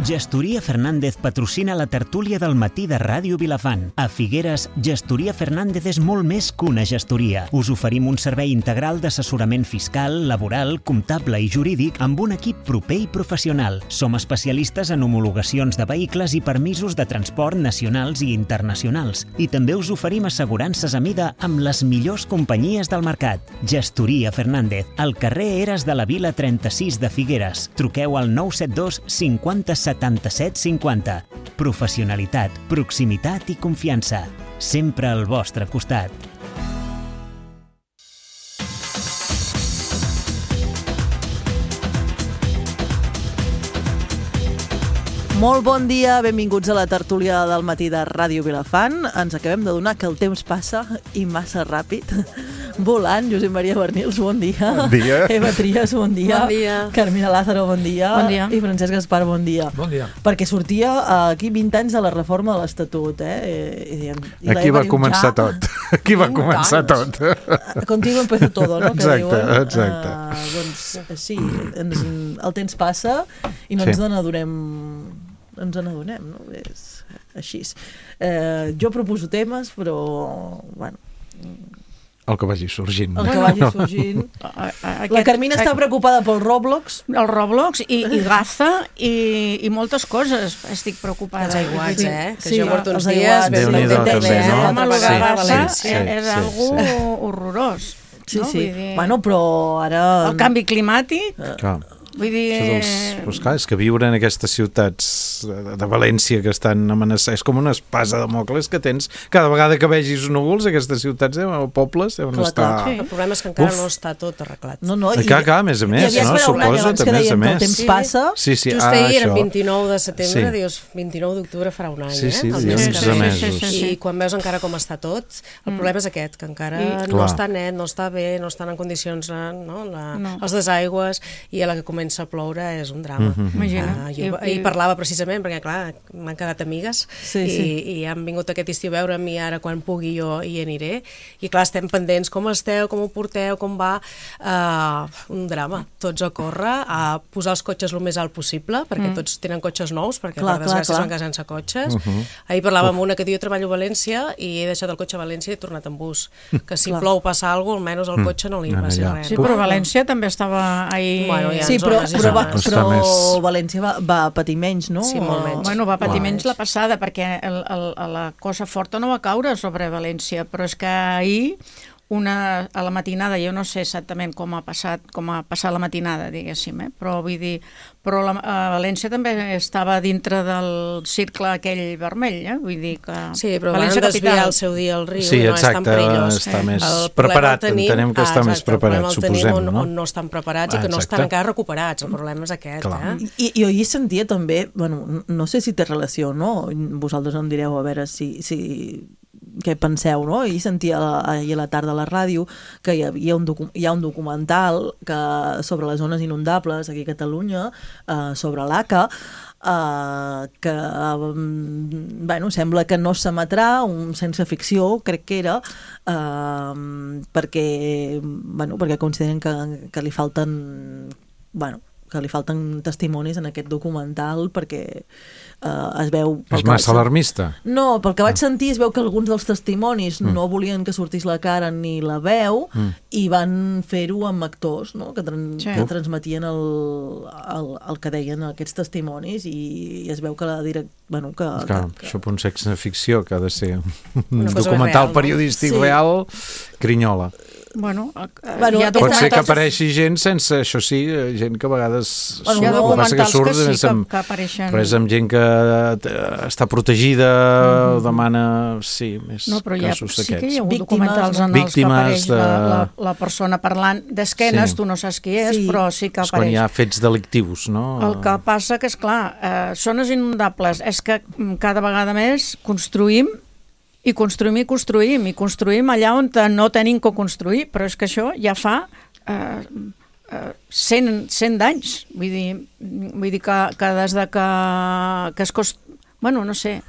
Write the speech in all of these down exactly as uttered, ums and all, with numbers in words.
Gestoria Fernández patrocina la tertúlia del matí de Ràdio Vilafant. A Figueres, Gestoria Fernández és molt més que una gestoria. Us oferim un servei integral d'assessorament fiscal, laboral, comptable i jurídic amb un equip proper i professional. Som especialistes en homologacions de vehicles i permisos de transport nacionals i internacionals. I també us oferim assegurances a mida amb les millors companyies del mercat. Gestoria Fernández, al carrer Eres de la Vila trenta-sis de Figueres. Truqueu al nou set dos cinquanta setanta-set cinquanta. Professionalitat, proximitat i confiança. Sempre al vostre costat. Molt bon dia, benvinguts a la tertúlia del matí de Ràdio Vilafant. Ens acabem de donar que el temps passa i massa ràpid. Volant, Josep Maria Bernils, bon dia. Bon dia. Eva Trias, bon dia. Bon dia. Carmina Lázaro, bon dia. Bon dia. I Francesc Gaspar, bon dia. Bon dia. Perquè sortia aquí vint anys de la reforma de l'Estatut, eh? I, i, i Aquí va començar ja... tot. Aquí va començar tot. Contigo empezó todo, no? Exacte, que diuen. exacte. Uh, doncs sí, ens, el temps passa i no Sí. ens n'adonem, ens n'adonem, no? És així. Eh, jo proposo temes, però, bueno... El que vagi sorgint. El que vagi sorgint. Aquest, La Carmina està preocupada pel Roblox. El Roblox i, i Gaza i, i moltes coses. Estic preocupada. Els aiguats, eh? Que Sí, jo porto uns els dies... aiguats, Déu-n'hi-do, també, no? Home, el de Sí, Gaza sí, sí, és sí, algo sí. horrorós. Sí, no? sí. Vull dir, Bueno, però ara... el canvi climàtic, Clar. vull dir... Això dels, doncs clar, és que viure en aquestes ciutats de, de València que estan amenaçades, és com una espasa de Mòcles que tens cada vegada que vegis núvols, aquestes ciutats o pobles deuen Clar, estar... clar. Sí. El problema és que encara Uf. no està tot arreglat. No, no, I clar, clar, a més a més, hi havia no? esperat un any Suposo, abans que també, dèiem a que el més. temps Sí. passa. Sí, sí, Just ah, ahir, el això. vint-i-nou de setembre, Sí. dius, vint-i-nou d'octubre farà un any, Sí, eh? sí, El dius mes que onze ve. mesos. Sí, sí, sí. I quan veus encara com està tot, el problema és aquest, que encara I- no Clar. està net, no està bé, no estan en condicions, eh, no? La, No. els desaigües, i a la que comença a ploure és un drama. Mhm. Imagina. Ah, jo I- ahir i- parlava precisament, perquè clar, m'han quedat amigues Sí, i, sí. i han vingut aquest estiu a veure'm i ara quan pugui jo hi aniré. I clar, estem pendents, com esteu, com ho porteu, com va... Uh, un drama. Tots a córrer, a posar els cotxes el més alt possible, perquè mm. tots tenen cotxes nous, perquè Clar, per clar, desgràcia clar. es van quedar sense cotxes. Uh -huh. Ahir parlava amb una que diu, jo treballo a València i he deixat el cotxe a València i he tornat en bus. Que si Clar. plou passa alguna cosa, almenys el cotxe no li Mm. passi Allà. res. Sí, no? però València també estava ahir... Bueno, ja. Sí, però, zones i però, va, zones. però Està més- València va, va patir menys, no? Sí, molt menys. Bueno, va patir Clar. menys la passada, perquè el, el, la cosa forta no va caure sobre València, però és que ahir, una, a la matinada, jo no sé exactament com ha passat, com ha passat la matinada, diguéssim, eh? Però vull dir, però la, a València també estava dintre del cercle aquell vermell, eh? Vull dir que... Sí, però van València desviar capital. el seu dia al riu Sí, i no és tan exacte, perillós. està més El problema preparat, el tenim- entenem que està ah, més exacte, preparat, el problema el suposem, tenim on, no? on no estan preparats Ah, i que no exacte. estan encara recuperats. El problema és aquest, Clar. eh? I, i jo hi sentia també, bueno, no sé si té relació o no, vosaltres em direu a veure si, si què penseu, no? I sentia ahir a la tarda a la ràdio que hi havia un, docu hi ha un documental que, sobre les zones inundables aquí a Catalunya, eh, sobre l'A C A, Uh, que um, bueno, sembla que no s'emetrà, un sense ficció crec que era, uh, perquè, bueno, perquè consideren que, que li falten bueno, que li falten testimonis en aquest documental perquè uh, es veu... pel És que massa vaig- alarmista. No, pel que vaig sentir es veu que alguns dels testimonis mm. no volien que sortís la cara ni la veu Mm. i van fer-ho amb actors, no? que, tran Sí. que transmetien el, el, el que deien aquests testimonis i, i es veu que la direct... Bueno, que, Clar, que, això per un sexe ficció que ha de ser un Una cosa documental real, no? periodístic Sí. real, crinyola. Bueno, eh, Bueno, hi ha Aquesta Pot ser que entonces- apareixi gent sense, això sí, eh, gent que a vegades... Bueno, hi ha no, el que passa documentals que, surt, sí és que, amb- que apareixen... Però és amb gent que eh, està protegida, mm -hmm. demana, sí, més No, però hi ha, casos sí que hi d'aquests. ha hagut Víctimes, documentals no? en els que Víctimes apareix de- la, la, la persona parlant d'esquenes, Sí. tu no saps qui és, Sí. però sí que És quan apareix. hi ha fets delictius, no? El que passa que, és clar, eh, zones inundables, és que mm, cada vegada més construïm i construïm i construïm, i construïm allà on no tenim que construir, però és que això ja fa eh, eh, cent, cent anys, vull dir, vull dir que, que des de que, que es cost... Bueno, no sé...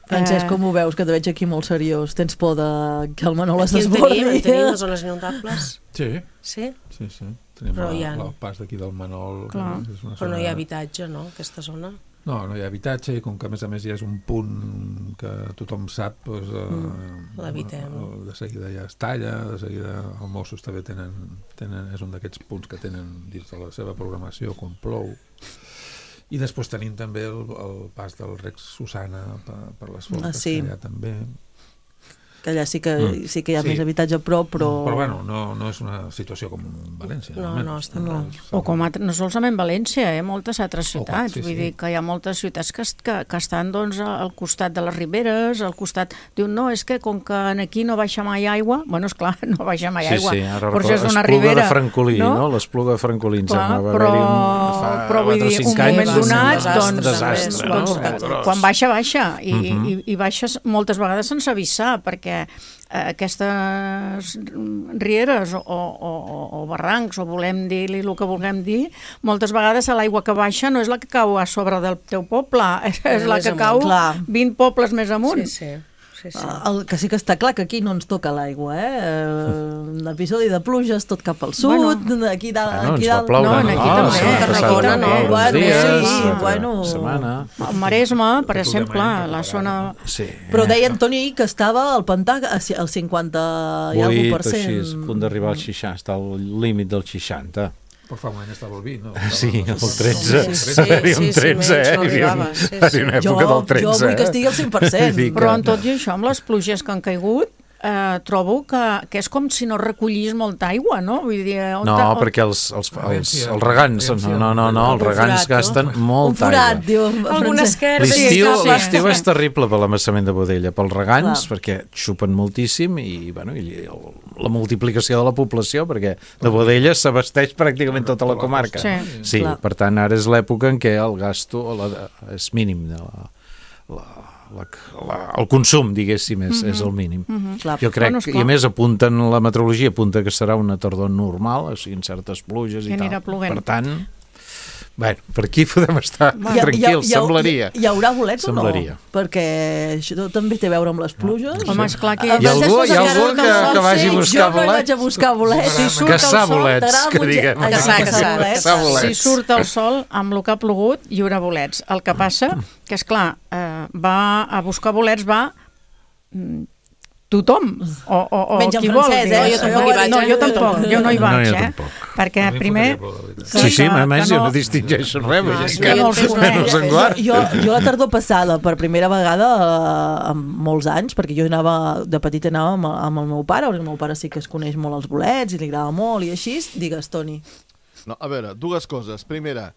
Francesc, Eh, com ho veus, que te veig aquí molt seriós? Tens por de que el Manol es Aquí en desbordi? tenim, en tenim les zones inundables. Sí, Sí? sí, sí. Tenim Però el, hi ha- el pas d'aquí del Manol. Clar. És una Però no zona- hi ha habitatge, no?, aquesta zona. No, no hi ha habitatge i com que a més a més ja és un punt que tothom sap, doncs, eh, mm, l'evitem. De seguida ja es talla, de seguida els Mossos també tenen, tenen és un d'aquests punts que tenen dins de la seva programació quan plou. I després tenim també el, el pas del Rex Susana per, per les Forques, ah, sí. que allà també... que allà sí que, mm. sí que hi ha sí. més habitatge a prop, però... Però bueno, no, no és una situació com València. No, no, està no. O com a, no solament València, eh? Moltes altres ciutats. Oh, sí, Vull sí. dir que hi ha moltes ciutats que, que, que estan doncs, al costat de les riberes, al costat... Diuen, no, és que com que aquí no baixa mai aigua... Bueno, esclar, no baixa mai sí, aigua. Sí, ara però és una Espluga ribera, de Francolí, no? no? L'Espluga de Francolí, ens clar, va però, haver-hi un, fa però vull dir, un moment donat, doncs, desastre, doncs, no? doncs, quan baixa, baixa. I, uh -huh. i, i baixes moltes vegades sense avisar, perquè aquestes rieres o, o, o barrancs, o volem dir-li el que vulguem dir, moltes vegades l'aigua que baixa no és la que cau a sobre del teu poble, és, és la que amunt. cau clar. vint pobles més amunt. Sí, sí. Sí, sí. El que sí que està clar que aquí no ens toca l'aigua, eh? L'episodi de pluges tot cap al sud, bueno, aquí dalt... Ah, no, aquí ens va dalt... ploure, no, no? aquí no, també. No, Tarragona, no, no, bueno, dies, sí, sí, una bueno... setmana. El Maresme, per exemple, la zona... Sí. Però deia Antoni que estava al pantà al cinquanta i alguna per cent. Així, a punt d'arribar al seixanta, està al límit del seixanta. Però fa un any estava el vint, no? Sí, el tretze. Sí, sí, Hi havia un sí, tretze, sí, eh? no Hi havia sí, sí. una època jo, del tretze. Jo vull que estigui al cent per cent. Però en tot i això, amb les pluges que han caigut, eh, trobo que, que és com si no recollís molta aigua, no? Vull dir, on no, on... perquè els, els, els, els regants, no, no, no, no els regants gasten molta aigua. Un forat, aigua. diu. Alguna esquerda. L'estiu sí, és terrible per l'amassament de Bodella, pels regants, clar. Perquè xupen moltíssim i, bueno, i el, la multiplicació de la població, perquè de Bodella s'abasteix pràcticament tota la comarca. Sí, sí per tant, ara és l'època en què el gasto la, és mínim de la... la La, la, el consum, diguéssim, és, mm -hmm. és el mínim. Mm -hmm. Jo crec, bueno, i a més apunten, la meteorologia apunta que serà una tardor normal, o sigui, certes pluges i, i tal. Per tant, bueno, per aquí podem estar bueno, tranquils, hi ha, hi ha, semblaria. Hi, hi haurà bolets semblaria. o no? Perquè això també té a veure amb les pluges. No. Home, esclar que... Hi ha algú, hi ha algú que, que vagi a buscar bolets? Jo no vaig a buscar bolets. Si surt caçar bolets, que diguem. Caçar, caçar, caçar bolets. Si surt el sol, amb el que ha plogut, hi haurà bolets. El que passa, que és clar, eh, va a buscar bolets, va... tothom, o, o, o menys qui en vol. francès, eh? Jo tampoc hi vaig. No, jo tampoc, jo no hi vaig, no, jo eh? tampoc. Perquè primer... Sí, sí, a més jo no distingeixo res, no, sí, que no, no senglar. Jo, jo la tardor passada, per primera vegada, eh, en molts anys, perquè jo anava, de petita anava amb, amb el meu pare, perquè el meu pare sí que es coneix molt els bolets i li agrada molt i així, digues, Toni. No, a veure, dues coses. Primera,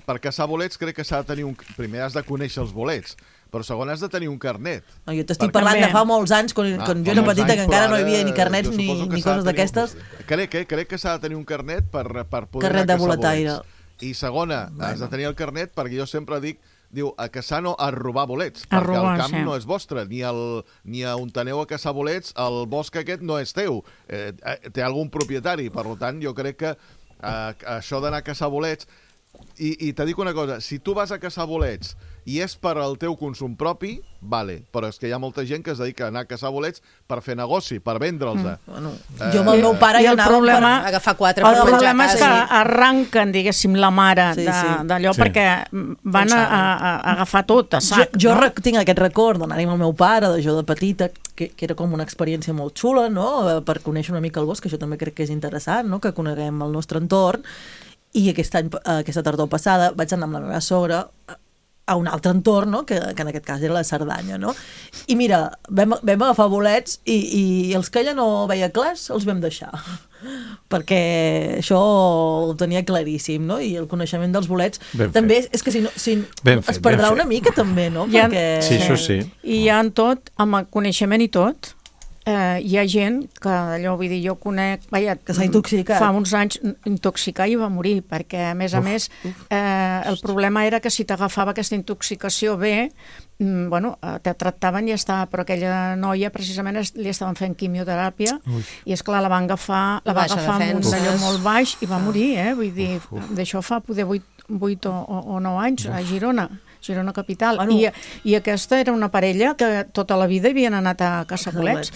per caçar bolets crec que s'ha de tenir un... Primer has de conèixer els bolets, però segon has de tenir un carnet. No, jo t'estic parlant de fa molts anys, quan, ah, quan jo era petita, anys, que encara no hi havia ni carnets ni, ni coses d'aquestes. Crec, eh, crec que s'ha de tenir un carnet per, per poder carnet anar a de boletaire. I segona, bueno. has de tenir el carnet perquè jo sempre dic, diu, a caçar no, a robar bolets, a perquè robar, el camp sí. no és vostre, ni, el, ni a on aneu a caçar bolets, el bosc aquest no és teu, eh, té algun propietari, per tant, jo crec que eh, això d'anar a caçar bolets, i, i te dic una cosa, si tu vas a caçar bolets i és per al teu consum propi, vale, però és que hi ha molta gent que es dedica a anar a caçar bolets per fer negoci, per vendre'ls. Mm. Bueno, eh, jo amb el meu pare i ja el anava problema, per agafar quatre el per menjar problema és que sí. arranquen, diguéssim, la mare sí, d'allò, sí. de, sí. perquè van a, a, a agafar tot a sac. Jo, jo no? tinc aquest record d'anar-hi amb el meu pare, de jo de petita, que, que era com una experiència molt xula, no?, per conèixer una mica el bosc, que això també crec que és interessant, no?, que coneguem el nostre entorn. I aquest any, aquesta tardor passada vaig anar amb la meva sogra a un altre entorn, no? que, que en aquest cas era la Cerdanya, no? I mira, vam, vam agafar bolets i, i els que ella no veia clars els vam deixar, perquè això ho tenia claríssim, no? I el coneixement dels bolets ben també fet. És que si no, si fet, es perdrà una mica també, no? Ha... Perquè... Sí, això sí. I hi ha en tot, amb el coneixement i tot, Eh, hi ha gent que allò, vull dir, jo conec, vaja, que s'ha intoxicat. Fa uns anys intoxicar i va morir, perquè a més a uf, més eh, el problema era que si t'agafava aquesta intoxicació bé, mm, bueno, te tractaven i ja està, però aquella noia precisament es, li estaven fent quimioteràpia Ui. I esclar, la van agafar, la va agafar amb un allò molt baix i va morir, eh? Vull dir, d'això fa poder vuit o, o nou anys a Girona. Girona capital, bueno. I, i aquesta era una parella que tota la vida havien anat a caçar bolets,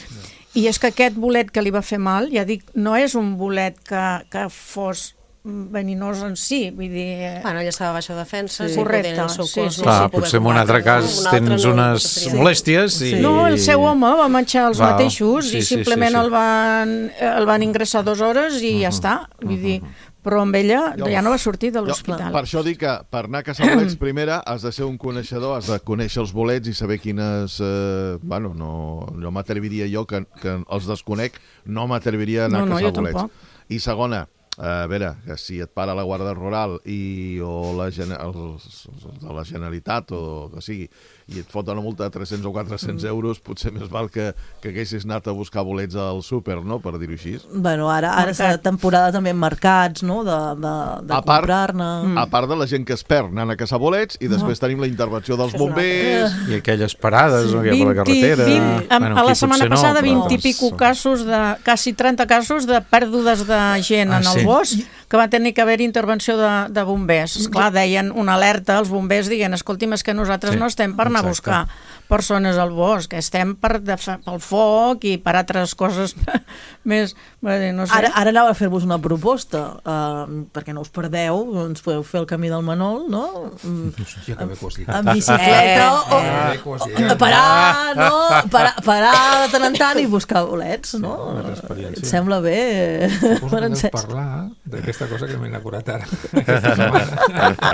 i és que aquest bolet que li va fer mal, ja dic, no és un bolet que, que fos veninós en si, vull dir... Bueno, ja estava a baixa defensa, sí. sí, Correcte, el seu sí, cos sí. no Clar, s'hi poder potser en un combatre, altre cas no? Un tens altre no, unes sí. molèsties i... No, el seu home va menjar els Val. mateixos Sí, i sí, simplement sí, sí. el van, el van ingressar dues hores i ja està, vull dir... Però amb ella Jo- ja no va sortir de Jo, l'hospital. per això dic que per anar a caçar bolets, primera, has de ser un coneixedor, has de conèixer els bolets i saber quines... Eh, bueno, no, no m'atreviria jo, que, que els desconec, no m'atreviria a anar No, no, a caçar jo bolets. tampoc. I segona, a veure, que si et para la Guàrdia Rural i, o la, gene- els, de la Generalitat o que sigui, i et foten una multa de tres-cents o quatre-cents Mm. euros, potser més val que, que haguessis anat a buscar bolets al súper, no?, per dir-ho així. Bueno, ara, ara és la temporada també en mercats, no?, de, de, de A part- comprar-ne. A part de la gent que es perd anant a caçar bolets, i després tenim la intervenció dels bombers... I aquelles parades no, que hi ha per la vint, carretera... vint, Bueno, a aquí la setmana potser no, passada però- vint i pico casos de, quasi trenta casos de pèrdues de gent Ah, en el sí? bosc, que va tenir que haver intervenció de, de bombers. Esclar, deien una alerta als bombers dient, escolti'm, és que nosaltres Sí, no estem per anar a exacte. buscar persones al bosc, estem per defa- pel foc i per altres coses més... No sé. Ara, ara anava a fer-vos una proposta, uh, perquè no us perdeu, ens podeu fer el camí del Manol, no? Mm, Hòstia, que bé que ho has dit. en bicicleta, Eh, o, Eh, que ho has dit. parar, no? Parar, parar de tant en tant i buscar bolets, no? Sí, una experiència. Et sembla bé, Suposo per que deus encès. parlar d'aquesta cosa que m'he enamorat ara. Aquesta setmana.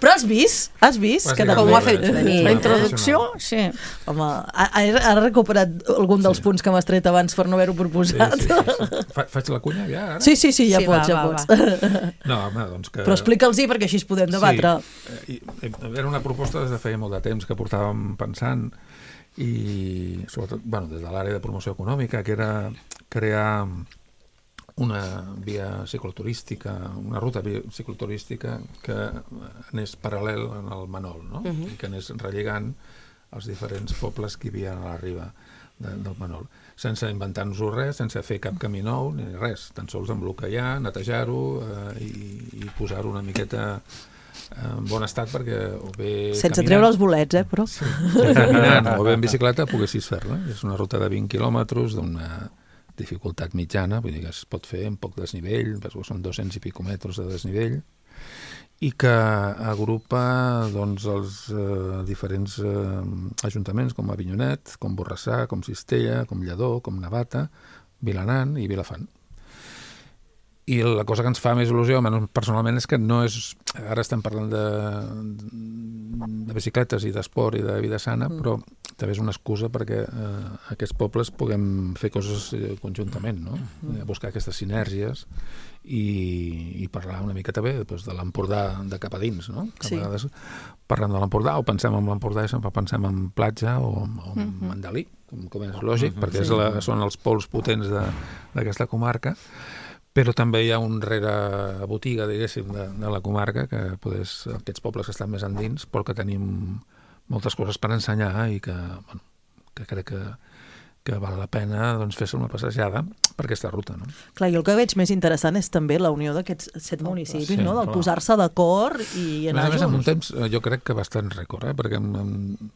Però has vist? Has vist? Que Bàsicament, també- Com ho ha fet venir? La introducció, sí. Home, ha, ha recuperat algun dels punts que m'has tret abans per no haver-ho Sí, proposat. sí, sí. Fa, faig la cunya ja, ara? Sí, sí, sí, ja Sí, pots, va, ja va, pots. No, home, doncs que... Però explica'ls-hi perquè així es podem debatre. Sí, i, era una proposta des de feia molt de temps que portàvem pensant i sobretot, bueno, des de l'àrea de promoció econòmica, que era crear una via cicloturística, una ruta via cicloturística que anés paral·lel en el Manol, no? Mhm. I que anés relligant els diferents pobles que hi havia a la riba de, del Manol, sense inventar-nos res, sense fer cap camí nou ni res, tan sols embloquejar, netejar-ho eh, i, i posar-ho una miqueta en bon estat perquè o bé Sense caminant, treure els bolets, eh, però... sí, caminant o bé en bicicleta poguessis fer-la. És una ruta de vint quilòmetres d'una dificultat mitjana, vull dir que es pot fer en poc desnivell, són dos-cents i pico metres de desnivell, i que agrupa doncs, els eh, diferents eh, ajuntaments com Avinyonet, com Borrassà, com Cistella, com Lledó, com Navata, Vilanant i Vilafant. I la cosa que ens fa més il·lusió, almenys personalment, és que no és... Ara estem parlant de, de bicicletes i d'esport i de vida sana, mm. però també és una excusa perquè eh, aquests pobles puguem fer coses eh, conjuntament, no? Mm. Buscar aquestes sinergies i, i parlar una mica també doncs, de l'Empordà de cap a dins, no? Que Sí. a vegades parlem de l'Empordà o pensem en l'Empordà i sempre pensem en platja o, o en Mm-hmm. Mandalí, com, com és lògic, Mhm. perquè és la, són els pols potents de- d'aquesta comarca, però també hi ha un rere botiga, diguéssim, de, de la comarca, que podés, aquests pobles que estan més endins, però que tenim moltes coses per ensenyar i que, bueno, que crec que, que val la pena doncs, fer-se una passejada per aquesta ruta. No? Clar, jo el que veig més interessant és també la unió d'aquests set municipis, Sí, no? Del clar. posar-se d'acord i A més anar a més, en un junts. temps, eh, jo crec que bastant rècord, eh? perquè en, en,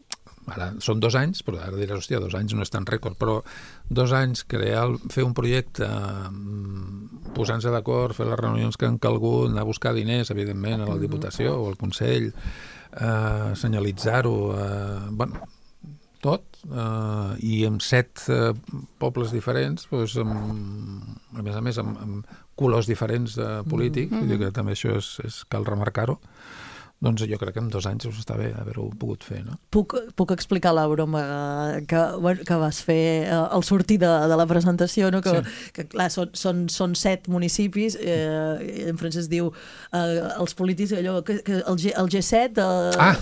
ara són dos anys, però ara diràs, hòstia, dos anys no és tan rècord, però dos anys crear, fer un projecte, mm, posant-se d'acord, fer les reunions que han calgut, anar a buscar diners, evidentment, a la Diputació o al Consell, eh, senyalitzar-ho, eh, bueno, tot, eh, i amb set eh, pobles diferents, doncs, amb, a més a més, amb, amb colors diferents de polítics, mm-hmm. vull dir que també això és, és cal remarcar-ho, doncs jo crec que en dos anys us està bé haver-ho pogut fer, no? Puc, puc explicar la broma que, bueno, que vas fer eh, al sortir de, de la presentació, no? que, sí. que clar, són, són, són set municipis, eh, en francès diu eh, els polítics, allò, que, que el, G, el G set eh, Ah!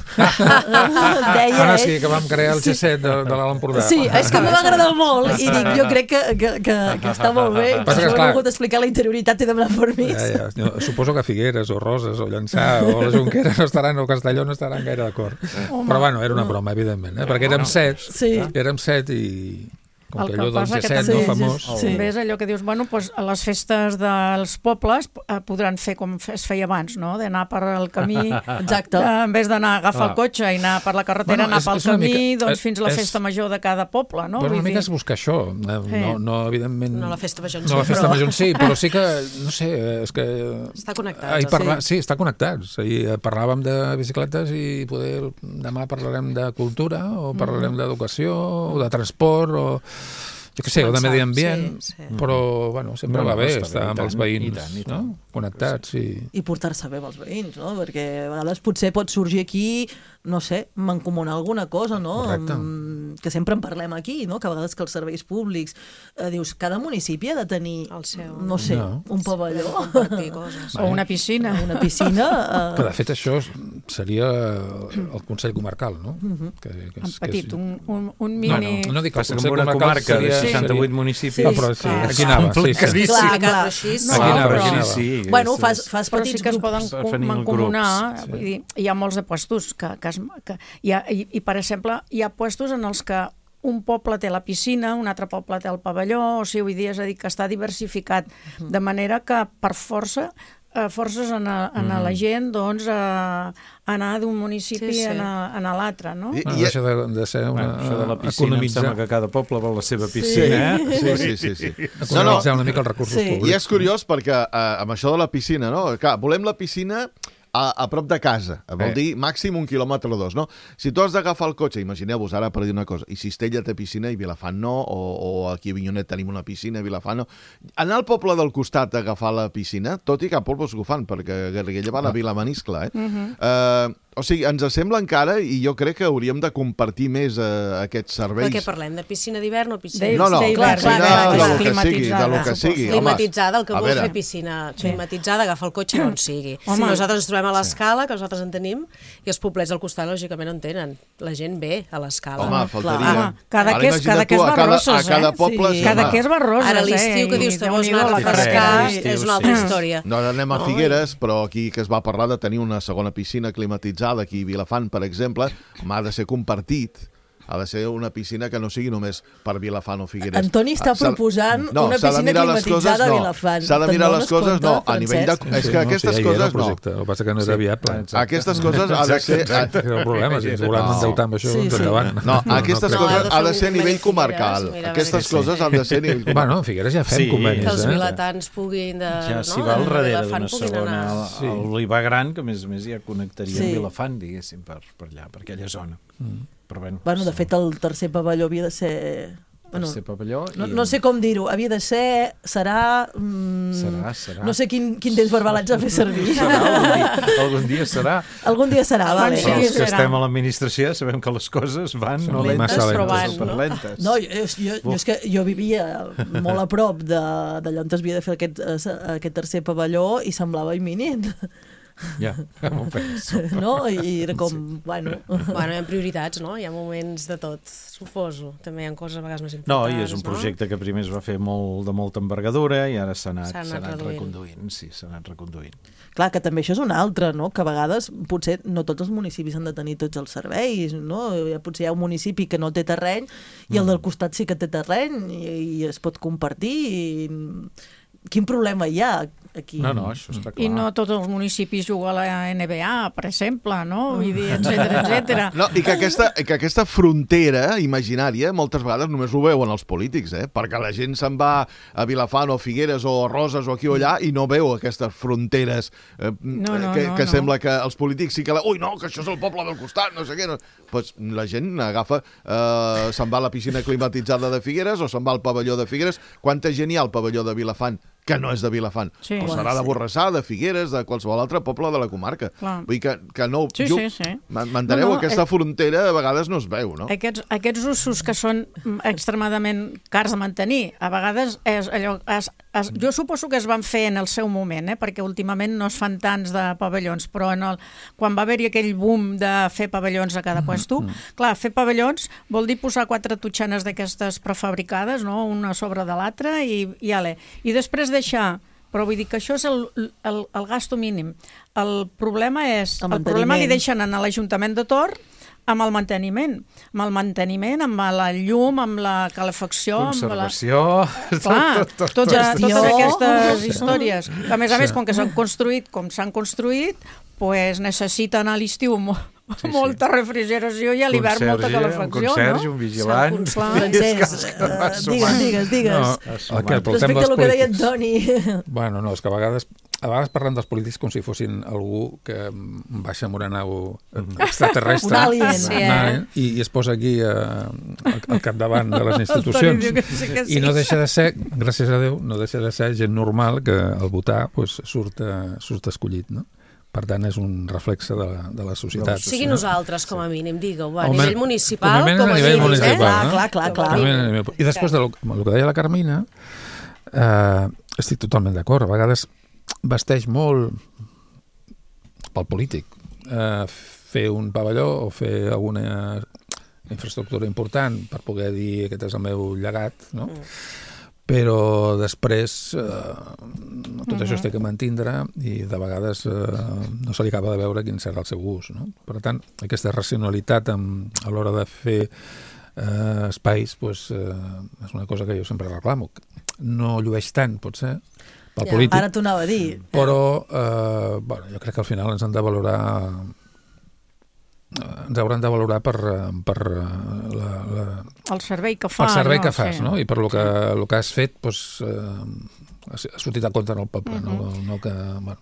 deia Ara ell. sí, que vam crear el G set de, de l'Alt Empordà. Sí, és que m'ha agradat molt i dic, jo crec que, que, que, que està molt bé, per Passa que, això he clar, volgut explicar la interioritat i demanar permís. Ja, ja. Jo suposo que Figueres o Roses o Llançà o la Jonquera no estaran, o Castelló no estaran gaire d'acord. Però bueno, era una broma, evidentment, eh? perquè érem set, Sí. érem set i, Com que allò del G set, no, famós. També és allò que dius, bueno, doncs a les festes dels pobles podran fer com es feia abans, no? D'anar per el camí, exacte, en vez d'anar a agafar el cotxe i anar per la carretera, anar pel camí, doncs fins a la festa major de cada poble, no? Bueno, una mica és buscar això. No, evidentment... No la festa major en sí, no la festa major en sí, però sí que, no sé, és que... Està connectat. Sí, està connectat. Parlàvem de bicicletes i poder demà parlarem de cultura o parlarem d'educació o de transport o... jo què sé, o de medi ambient, sí, sí. Però bueno, sempre no, va bé estar bé, amb tant, els veïns, i tant, i tant. No? Connectats. Sí. I, i portar-se bé amb els veïns, no? Perquè a vegades potser pot sorgir aquí, no sé, mancomunar alguna cosa, no? Mm, que sempre en parlem aquí, no? Que a vegades que els serveis públics, eh, dius, cada municipi ha de tenir, el seu, no sé, no. un pavelló. O una piscina. Una piscina. Eh... Que de fet això seria el Consell Comarcal, no? Uh-huh. que, que és, en petit, que és... un, un, un mini... Bueno, no dic que el Consell Comarcal seria... seixanta-vuit municipis. Sí, ah, però sí, aquí anava. Sí, sí. Clar, clar. Aquí anava, aquí anava. Sí, bueno, fas, fas però petits sí que es poden mancomunar. Sí. Vull dir, hi ha molts de puestos que, que, es, que hi ha, i, i, per exemple, hi ha puestos en els que un poble té la piscina, un altre poble té el pavelló, o sigui, vull dir, és a dir, que està diversificat, de manera que per força eh, forces en a, en a la gent doncs, a anar d'un municipi sí, sí. a, a l'altre, no? I, i això de, de ser una... Bueno, això de la piscina, economitzar... em sembla que cada poble vol la seva piscina, sí. eh? Sí, sí, sí. sí. Economitzar no, no. una mica els recursos sí. públics. I és curiós perquè eh, amb això de la piscina, no? Clar, volem la piscina... A, a prop de casa, vol eh. dir màxim un quilòmetre o dos, no? Si tu has d'agafar el cotxe, imagineu-vos ara per dir una cosa, i Cistella té piscina i Vilafant no, o, o aquí a Avinyonet tenim una piscina i Vilafant no, anar al poble del costat a agafar la piscina, tot i que a pobles ho fan, perquè Garriguella van a Vilamaniscle, eh? Uh-huh. uh, o sigui, ens sembla encara, i jo crec que hauríem de compartir més uh, aquests serveis. Perquè parlem de piscina d'hivern o piscina... No, no, clar, clar, clar, de lo que sigui, de lo que sigui. Climatitzada, el que vols fer piscina climatitzada, agafa el cotxe on sigui. Si nosaltres ens trobem a l'escala, que nosaltres en tenim, i els poblets al costat, lògicament, no en tenen. La gent ve a l'escala. Home, faltaria. Cada que és Barroses, eh? A cada poble... Cada que és Barroses, eh? Ara l'estiu que dius, te vols anar a refrescar, és una altra història. No, anem a Figueres, però aquí que es va parlar de tenir una segona piscina climatitzada, aquí a Vilafant, per exemple, ha de ser compartit. Ha de ser una piscina que no sigui només per Vilafant o Figueres. Antoni està proposant no, una piscina climatitzada a Vilafant. S'ha de mirar les coses, no, a nivell de... És que aquestes coses no. El que passa que no era viable. Aquestes coses ha de ser... Era un problema, si ens volem endeutar amb això, endavant. No, aquestes coses ha de ser a nivell comarcal. Aquestes coses han de ser a nivell comarcal. Bueno, a Figueres ja fem convenis. Que els vilatans puguin de... Ja s'hi va al darrere d'una segona... L'Olivar Gran, que a més a més ja connectaria amb Vilafant, diguéssim, per allà, per aquella zona. Però bueno, bueno, de fet el tercer pavelló havia de ser... Bueno, tercer pavelló i... no, no sé com dir-ho, havia de ser, serà... Mm, serà, serà. No sé quin, quin temps verbal haig de fer servir. Serà, algun, dia, algun dia serà. Algun dia serà, vale. Però els que estem a l'administració sabem que les coses van no lentes, però van, no? lentes. No, jo, jo, jo, és que jo vivia molt a prop d'allà on es havia de fer aquest, aquest tercer pavelló i semblava imminent. Ja, m'ho penso. No? I era com, sí. bueno... Bueno, hi ha prioritats, no? Hi ha moments de tot, suposo. També hi ha coses a vegades més importants. No, i és un projecte no? que primer es va fer molt, de molta envergadura i ara s'ha anat, anat, anat reconduint. Sí, s'ha anat reconduint. Clar, que també això és una altra, no? Que a vegades potser no tots els municipis han de tenir tots els serveis, no? Potser hi ha un municipi que no té terreny i el del costat sí que té terreny i, i es pot compartir i... Quin problema hi ha aquí? No, no, això està clar. I no tots els municipis juguen a la N B A, per exemple, no? Vull dir, etcètera, etcètera. No, i que aquesta, que aquesta frontera imaginària moltes vegades només ho veuen els polítics, eh? Perquè la gent se'n va a Vilafant o a Figueres o a Roses o aquí o allà i no veu aquestes fronteres eh, no, no, que, no, que no. sembla que els polítics sí que... La... Ui, no, que això és el poble del costat, no sé què. No. Pues la gent agafa, eh, se'n va a la piscina climatitzada de Figueres o se'n va al pavelló de Figueres. Quanta gent hi ha al pavelló de Vilafant que no és de Vilafant? Sí. O serà de Borrassà, de Figueres, de qualsevol altre poble de la comarca. Clar. Vull dir que, que no... Sí, jo, sí, sí. M'enteneu? No, no, aquesta eh... frontera a vegades no es veu, no? Aquests, aquests usos que són extremadament cars de mantenir, a vegades és allò... Es, es, jo suposo que es van fer en el seu moment, eh? Perquè últimament no es fan tants de pavellons, però en el, quan va haver-hi aquell boom de fer pavellons a cada puesto, mm -hmm. clar, fer pavellons vol dir posar quatre totxanes d'aquestes prefabricades, no? Una sobre de l'altra i, i ale. I després deixar, però vull dir que això és el, el, el gasto mínim. El problema és, el, el problema li deixen a l'Ajuntament de Tor amb el manteniment. Amb el manteniment, amb la llum, amb la calefacció... Conservació... Amb la... Clar, tot, tot, tot, totes, totes aquestes històries. A més a més, com que s'han construït com s'han construït, pues necessiten a l'estiu molt... Sí, molta sí. refrigeració i a l'hivern molta calefacció, no? Un conserge, un vigilant... Francesc, uh, digues, digues, digues. No, el que respecte a el que deia en Toni. Bueno, no, és que a vegades, a vegades parlen dels polítics com si fossin algú que baixa amb una nau extraterrestre. Un alien. Sí, eh? I, I es posa aquí uh, al, al capdavant de les institucions. Sí sí. I no deixa de ser, gràcies a Déu, no deixa de ser gent normal que al votar pues, surt, uh, surt escollit, no? Per tant, és un reflexe de la, de la societat. Sigui nosaltres, com a mínim, digue-ho. A nivell municipal, com a, com a nivell municipal, eh? no? Clar, clar, clar. I després del de que deia la Carmina, eh, estic totalment d'acord. A vegades vesteix molt pel polític. Eh, fer un pavelló o fer alguna infraestructura important per poder dir aquest és el meu llegat, no? Mm. Però després eh, tot uh-huh. això es té que mantindre i de vegades eh, no se li acaba de veure quin serà el seu ús, no? Per tant, aquesta racionalitat amb, a l'hora de fer eh, espais pues, eh, és una cosa que jo sempre reclamo. No llueix tant, potser, pel ja, polític. Ara t'ho anava a dir. Però eh, bueno, jo crec que al final ens han de valorar... ens hauran de valorar per, per la, la, el servei que fa, el servei no? que fas, sí. no? I per lo que, lo que has fet doncs, eh, ha sortit a compte en el poble, uh-huh. no, no que... Bueno.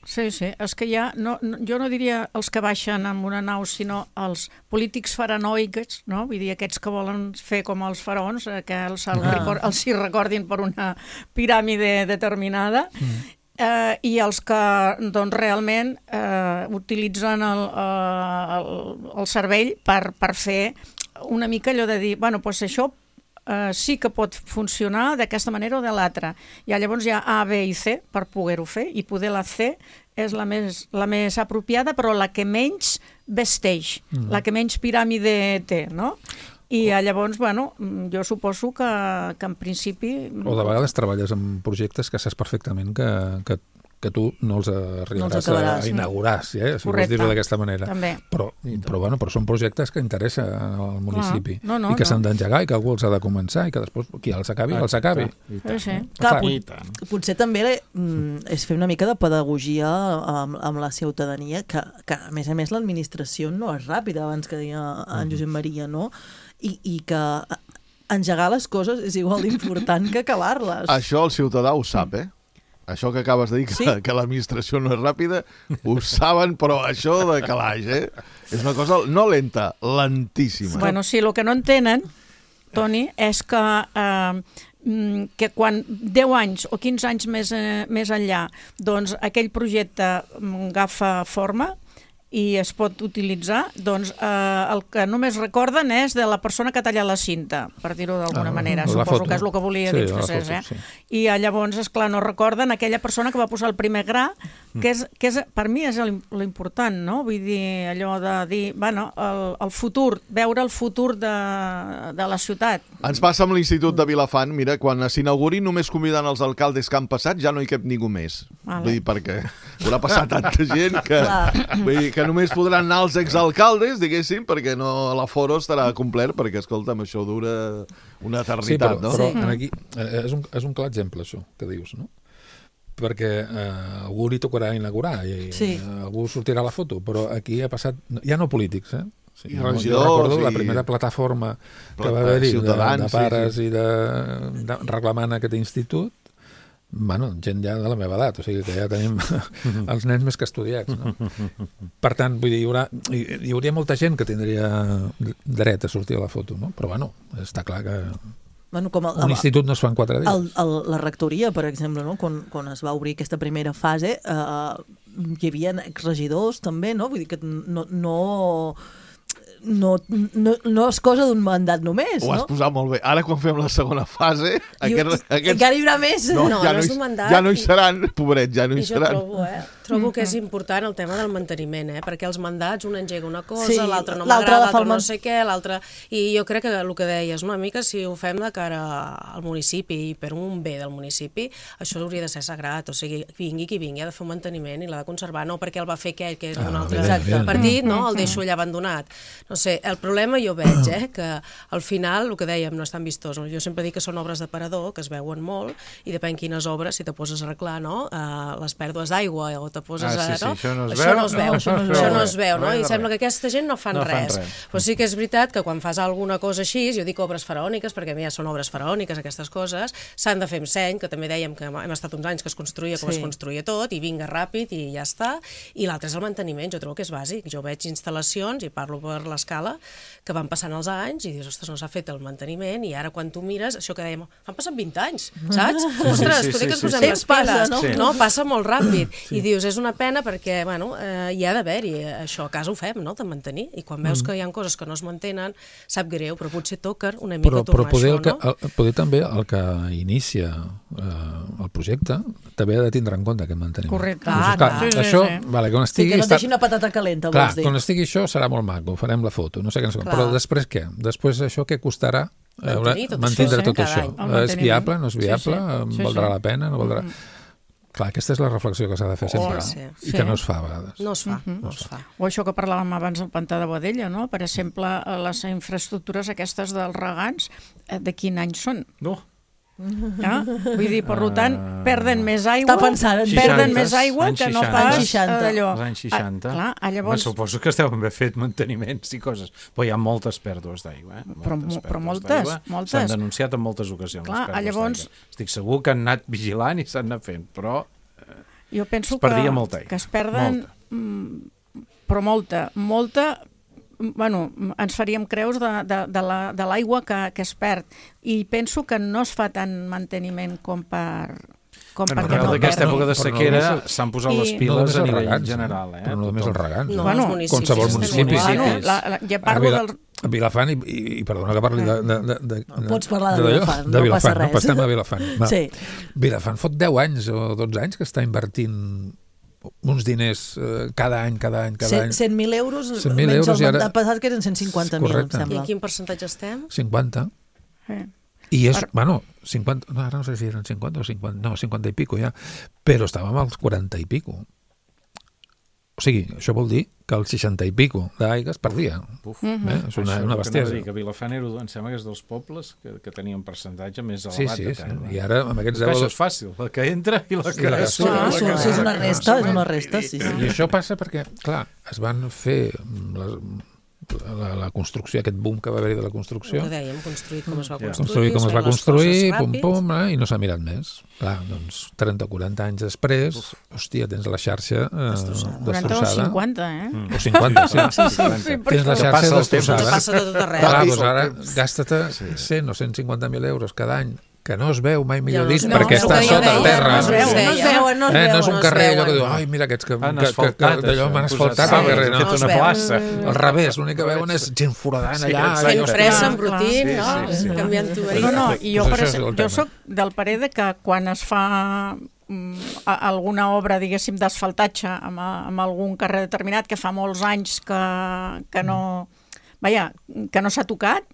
Sí, sí, és que ja, no, no, jo no diria els que baixen amb una nau, sinó els polítics faranoics, no? Vull dir, aquests que volen fer com els faraons, que els, els, ah. record, els hi recordin per una piràmide determinada, mm. Eh, i els que doncs, realment eh, utilitzen el, eh, el, el cervell per, per fer una mica allò de dir, bueno, doncs això eh, sí que pot funcionar d'aquesta manera o de l'altra. I llavors hi ha A, B i C per poder-ho fer, i poder la C és la més, la més apropiada, però la que menys vesteix, mm. la que menys piràmide té, no? I llavors, bueno, jo suposo que, que en principi... O de vegades treballes en projectes que saps perfectament que, que, que tu no els arribaràs no els a inaugurar, sí, eh? Si vols dir-ho d'aquesta manera. També. Però, però, bueno, però són projectes que interessen al municipi ah, no, no, i que no. s'han d'engegar i que algú els ha de començar i que després qui els acabi, els acabi. Sí, sí. Clar, pot, potser també mm, és fer una mica de pedagogia amb, amb la ciutadania, que, que a més a més l'administració no és ràpida, abans que deia en Josep Maria, no? I, i que engegar les coses és igual d'important que acabar-les. Això el ciutadà ho sap, eh? Això que acabes de dir, que, sí? que l'administració no és ràpida, ho saben, però això de calaix, eh? És una cosa no lenta, lentíssima. Bueno, sí, el que no entenen, Toni, és que, eh, que quan deu anys o quinze anys més, eh, més enllà, doncs aquell projecte agafa forma, i es pot utilitzar, doncs eh, el que només recorden és de la persona que ha tallat la cinta, per dir-ho d'alguna ah, manera. Suposo foto. Que és el que volia dir, sí, Francesc. Eh? Sí. I eh, llavors, esclar, no recorden aquella persona que va posar el primer gra, que, és, que és, per mi és l'important, no? Vull dir, allò de dir, bueno, el, el futur, veure el futur de, de la ciutat. Ens passa amb l'Institut de Vilafant, mira, quan s'inauguri només convidant els alcaldes que han passat, ja no hi cap ningú més. Vale. Vull dir, perquè haurà passat tanta gent que... Vull dir, que només podran anar els exalcaldes, diguéssim, perquè no l'aforo estarà complet, perquè, escolta'm, això dura una eternitat, sí, però, no? Però sí. aquí eh, és, un, és un clar exemple, això, que dius, no? Perquè eh, algú li tocarà inaugurar i sí. eh, algú sortirà a la foto, però aquí ha passat, ja no polítics, eh? Sí, I no, regidors, jo recordo i... la primera plataforma que va haver-hi de, de pares sí, sí. i de, de reclamant aquest institut, bueno, gent ja de la meva edat, o sigui que ja tenim els nens més que estudiats, no? Per tant, vull dir, hi, haurà, hi, hi hauria molta gent que tindria dret a sortir a la foto, no? Però bueno, està clar que bueno, com el, un institut no es fa en quatre dies. El, el, la rectoria, per exemple, no? quan, quan es va obrir aquesta primera fase, eh, hi havia exregidors també, no? Vull dir que no... no... No, no, no és cosa d'un mandat només, ho no? Ho has posat molt bé. Ara, quan fem la segona fase... I, aquest, aquests... encara hi haurà més. No, no, ja, no, no, hi, ja no hi seran, pobret, ja no hi, hi seran. Jo trobo, eh? Trobo que és important el tema del manteniment, eh? Perquè els mandats, un engega una cosa, Sí, l'altre no l'altre m'agrada, la fa l'altre el no man- sé què, l'altre... I jo crec que el que deies, una mica, si ho fem de cara al municipi i per un bé del municipi, això hauria de ser sagrat, o sigui, vingui qui vingui, ha de fer un manteniment i l'ha de conservar, no perquè el va fer aquell que és d'un Ah, altre evident, partit, no? El deixo allà abandonat. No sé, el problema jo veig, eh? Que al final, el que dèiem, no és tan vistós. Jo sempre dic que són obres d'aparador, que es veuen molt, i depèn quines obres, si te poses a arreglar, no? Uh, les pèrdues d'aigua, o te poses Ah, sí, a... sí, no? això no es això veu. no es veu, No, això no es no veu, es no es veu, no? veu. I sembla que aquesta gent no fan No fan res. res. Però sí que és veritat que quan fas alguna cosa així, jo dic obres faraòniques, perquè a mi ja són obres faraòniques, aquestes coses, s'han de fer amb seny, que també dèiem que hem estat uns anys que es construïa com Sí. es construïa tot, i vinga ràpid i ja està. I l'altre és el manteniment, jo trobo que és bàsic. Jo veig instal·lacions, i parlo per l'escala, que van passant els anys i dius, ostres, no s'ha fet el manteniment, i ara quan tu mires, això que dèiem, han passat vint anys, saps? Ostres, sí, potser sí, que ens sí, posem sí. les Passa, piles, no? no? no? Passa molt ràpid. I dius, és una pena perquè, bueno, eh, hi ha d'haver-hi, això a casa ho fem, no?, de mantenir, i quan veus que hi ha coses que no es mantenen, sap greu, però potser toca una mica Però, tornar però poder, això, el que, no? el, poder també el que inicia eh, el projecte també ha de tindre en compte aquest manteniment. Correcte. Doncs, Ah, clar. Sí, sí, això, sí. vale, quan Sí, estigui... que no et està- deixin una patata calenta, Clar, vols dir. quan estigui això serà molt maco, farem la foto, no sé què, no sé com, Clar. però després què? Després això què costarà? Mantenir tot Mantindre això, tot cada això. any. El És manteniment. viable, no és Sí, viable? sí. Sí, Valdrà sí. la pena? No valdrà... Clar, aquesta és la reflexió que s'ha de fer sempre, Oh, sí. i que no es fa a vegades. No es fa, no es fa. O això que parlàvem abans del pantà de Boadella, no? Per exemple, les infraestructures aquestes dels regants, eh, de quin any són? No. Ah? Vull dir, per tant, perden més aigua, Està pensant en perden seixanta, més aigua anys que no seixanta. pas Anys seixanta. d'allò. Els anys seixanta. Ah, clar, ah, llavors... Home, suposo que esteu ben fet manteniments i coses, però hi ha moltes pèrdues d'aigua. Eh? Però mo- Moltes però pèrdues moltes, d'aigua. moltes. S'han denunciat en moltes ocasions. Clar, les pèrdues llavors- d'aigua. Estic segur que han anat vigilant i s'han anat fent, però Jo penso es perdia que, molta aigua. que es perden, mm, però molta, molta, mm, bueno, ens faríem creus de, de, de la- de l'aigua que, que es perd. I penso que no es fa tant manteniment com per... Com bueno, perquè arrel no d'aquesta perdi. època de Però no sequera només- s'han posat I- les No piles només a els nivell regants, general. Eh? però no només els Tothom. regants. No, Bueno, els municipis. qualsevol estem municipi. igual. Bueno, municipis. la, la, ja A, parlo Vila, del... a Vilafant, i, i, i perdona que parli de... de, de, de Pots parlar de d'allò, Vilafant, no de Vilafant, passa res. No passem a Vilafant. Va. Sí. Vilafant fot deu anys o dotze anys que està invertint uns diners eh, cada any, cada any, cada any. cent mil euros, cent mil menys euros el i ara- mandat passat, que eren cent cinquanta mil, em Correcte. I sembla. en quin percentatge estem? cinquanta. Eh. I és, bueno, cinquanta, no, ara no sé si eren cinquanta o cinquanta, no, cinquanta i pico ja, però estàvem als quaranta i pico. O sigui, això vol dir que el seixanta i pico d'aigua es perdia. Uf. Eh? És una, Això una és el que anava a bestiesa. dir, que Vilafant era, em sembla que és dels pobles que, que tenia un percentatge més Sí, elevat sí, de sí. pèrdua. I ara amb aquests Això deu... és fàcil, la que entra i la que... la que Sí, surt. ah, la sí, que- sí, és una resta, és una resta, sí, sí. I això passa perquè, clar, es van fer les, la, la construcció, aquest boom que va haver-hi de la construcció, El que dèiem, construït com es va Ja. construir, construir com es fer va les construir, coses pum, ràpid. pum, eh, i no s'ha mirat més. Clar, doncs trenta o quaranta anys després, hòstia, tens la xarxa eh, Destrossada. quaranta o destrossada. cinquanta, eh? O cinquanta, sí. Sí, sí. Tens la Que xarxa passa el temps. destrossada. Passa de tot arreu. Clar, I- doncs ara gasta-te cent o cent cinquanta mil euros cada any, que no es veu, mai millor Ja no dit, es veu. perquè No, està no, sota no, terra. no es veu, No es veuen, no es Eh, no és veuen. un es carrer allò que veuen. diu, ai, mira aquests que, Han que, que, que asfaltat, d'allò això, m'han han asfaltat posat al carrer, sal, no? han fet No es una veu. plaça. Al revés, l'únic que veuen és gent foradant Sí, allà. exacte. Fent allò- fressa, Clar, embrutint, clar. no? Sí, sí, sí. Canviant tuberies. No, no, i jo, Pues per, això és exemple, el jo tema. soc del parer de que quan es fa mm, a- alguna obra, diguéssim, d'asfaltatge amb, a- amb algun carrer determinat que fa molts anys que, que no... Vaja, que no s'ha tocat,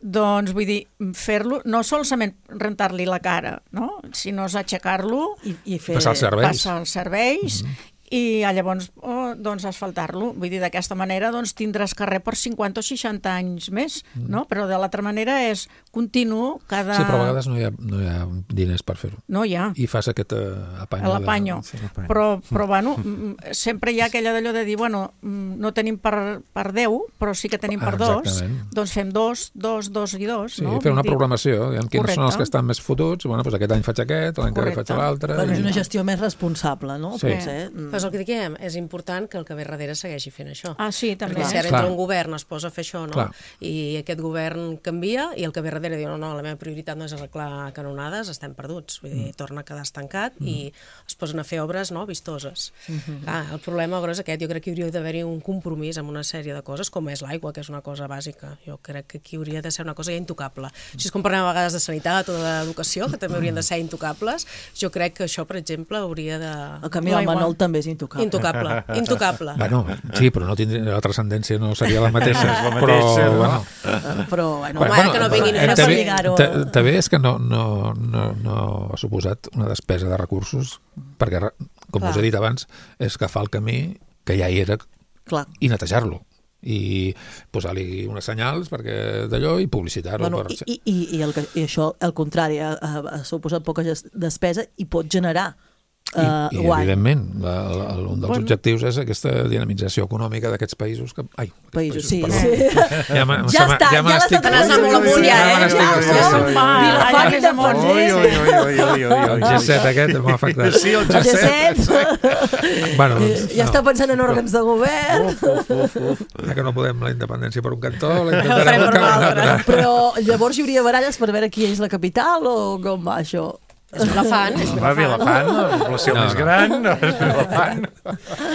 doncs vull dir, fer-lo, no solament rentar-li la cara, no? Sinó és aixecar-lo, I, i fer... Passar els serveis. passar els serveis, i ah, llavors oh, doncs asfaltar-lo. Vull dir, d'aquesta manera doncs, tindràs carrer per cinquanta o seixanta anys més, no? Però de l'altra manera és continu, cada... Sí, però a vegades no hi ha, no hi ha diners per fer-ho. No hi ha. I fas aquest uh, apanyo. L'apanyo. De... l'apanyo. Però, però bueno, mm, sempre hi ha aquella d'allò de dir, bueno, mm, no tenim per, per deu, però sí que tenim per Ah, dos, exactament. doncs fem dos, dos, dos i dos, Sí, no? fer una Vull dir, programació, diguem, quins són els Correcte. que estan més fotuts, bueno, doncs aquest any faig aquest, l'any que ve faig Correcte. l'altre... Bueno, és i- una gestió més responsable, no? Sí. Potser. Mm. Però és el que diguem, és important que el que ve darrere segueixi fent això. Ah, sí, també. Perquè si ara Clar. entra un govern, es posa a fer això, no? Clar. I aquest govern canvia i el que ve darrere diu, no, no, la meva prioritat no és arreglar canonades, estem perduts. Vull dir, torna a quedar estancat Mm. i es posen a fer obres, no?, vistoses. Mm-hmm. Clar, el problema gros és aquest. Jo crec que hi hauria d'haver-hi un compromís amb una sèrie de coses, com és l'aigua, que és una cosa bàsica. Jo crec que aquí hauria de ser una cosa ja intocable. Així és com parlem a vegades de sanitat o d'educació, que també haurien de ser intocables. Jo crec que això, per exemple, hauria de... El camí del L'aigua. Manol també és és intocable. Intocable, intocable. Bueno, sí, però no tindria, la transcendència no seria la mateixa. la mateixa, però, no? Bueno, però, bueno, Home, bueno, que no vinguin era per lligar-ho. També és que no, no, no, no ha suposat una despesa de recursos, perquè, com Clar. us he dit abans, és agafar el camí que ja hi era Clar. i netejar-lo i posar-li unes senyals perquè d'allò i publicitar-ho. Bueno, per... i, i, i, el, I això, al contrari, ha, ha suposat poca despesa i pot generar uh, I, i guany. evidentment, la, la, un dels Bueno. objectius és aquesta dinamització econòmica d'aquests països que... Ai, Països, països, sí, perdó. sí. Ja, ma, Ja està, ja m'estic- l'estat anant molt amunt, ja, eh? m'estic- Ja, sí, sí. ja. Vilafant i de Pons, Ui, eh? ui, ui, ui, ui, ui, El G set aquest m'ha afectat. Sí, el El G set. G set Bueno, doncs, ja està pensant en òrgans de govern. Uf, uf, uf, uf. ja que no podem la independència per un cantó, la farem intentarem per per un l'altre. altre. Però llavors hi hauria baralles per veure qui és la capital o com va això? És Vilafant, és Va, Vilafant. Vilafant, la població No, més no. gran, no, és Vilafant.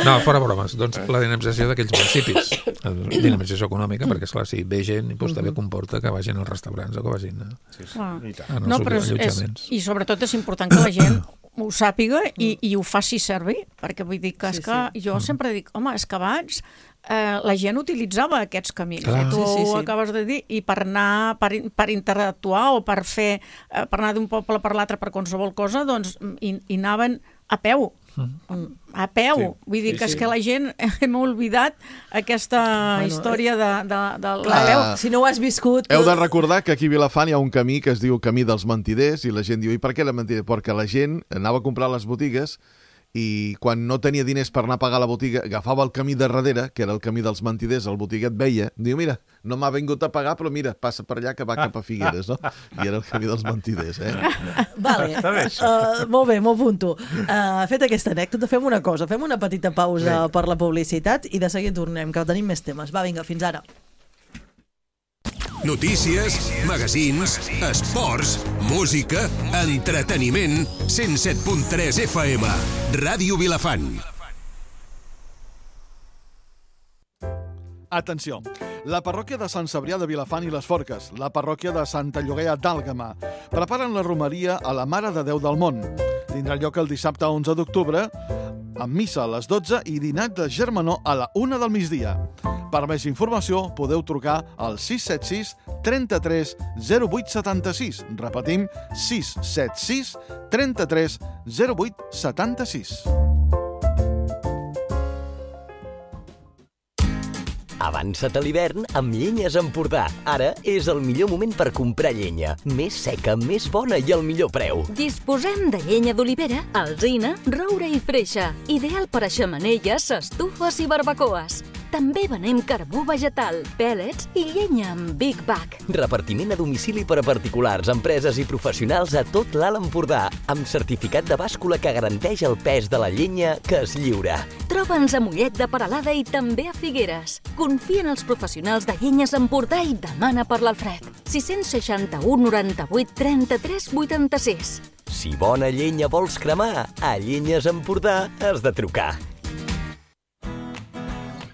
No, fora bromes. Doncs la dinamització d'aquells municipis. La dinamització econòmica, perquè, esclar, si ve gent, doncs també comporta que vagin als restaurants o que vagin a, Sí, sí, Clar. i tant. en els No, però és, és, allotjaments. i sobretot és important que la gent ho sàpiga i, i ho faci servir, perquè vull dir que, Sí, és que sí. jo sempre dic, home, és que abans eh, la gent utilitzava aquests camins, Clar. i tu Sí, sí, sí. ho acabes de dir, i per anar, per, per interactuar o per fer, eh, per anar d'un poble per l'altre per qualsevol cosa, doncs hi, hi anaven a peu, a peu, Sí. vull dir Sí, que és sí. que la gent hem oblidat aquesta Bueno, història de, de, de la Clar. veu. Si no ho has viscut... Heu de recordar que aquí a Vilafant hi ha un camí que es diu Camí dels Mentiders i la gent diu, i per què la mentida? Perquè la gent anava a comprar a les botigues i quan no tenia diners per anar a pagar la botiga agafava el camí de darrere, que era el camí dels mentiders, el botiguet veia, diu, mira, no m'ha vingut a pagar, però mira, passa per allà que va cap a Figueres, no? I era el camí dels mentiders, eh? Vale, Està bé, això. uh, molt bé, m'ho apunto. Uh, fet aquesta anècdota, fem una cosa, fem una petita pausa per la publicitat i de seguida tornem, que tenim més temes. Va, vinga, fins ara. Notícies, magazins, esports, música, entreteniment, cent set punt tres F M, Ràdio Vilafant. Atenció, la parròquia de Sant Cebrià de Vilafant i les Forques, la parròquia de Santa Llogaia d'Àlgama, preparen la romeria a la Mare de Déu del Món. Tindrà lloc el dissabte onze d'octubre, amb missa a les dotze i dinat de germanor a la una del migdia. Per més informació podeu trucar al sis set sis, trenta-tres, zero vuit setanta-sis. Repetim, sis set sis, trenta-tres, zero vuit setanta-sis. Avança't a l'hivern amb Llenyes Empordà. Ara és el millor moment per comprar llenya. Més seca, més bona i al millor preu. Disposem de llenya d'olivera, alzina, roure i freixa. Ideal per a xemeneies, estufes i barbacoes. També venem carbó vegetal, pèl·lets i llenya amb Big Bag. Repartiment a domicili per a particulars, empreses i professionals a tot l'Alt Empordà, amb certificat de bàscula que garanteix el pes de la llenya que es lliura. Troba'ns a Mollet de Peralada i també a Figueres. Confia en els professionals de Llenyes Empordà i demana per l'Alfred. sis seixanta-u, noranta-vuit, trenta-tres, vuitanta-sis. Si bona llenya vols cremar, a Llenyes Empordà has de trucar.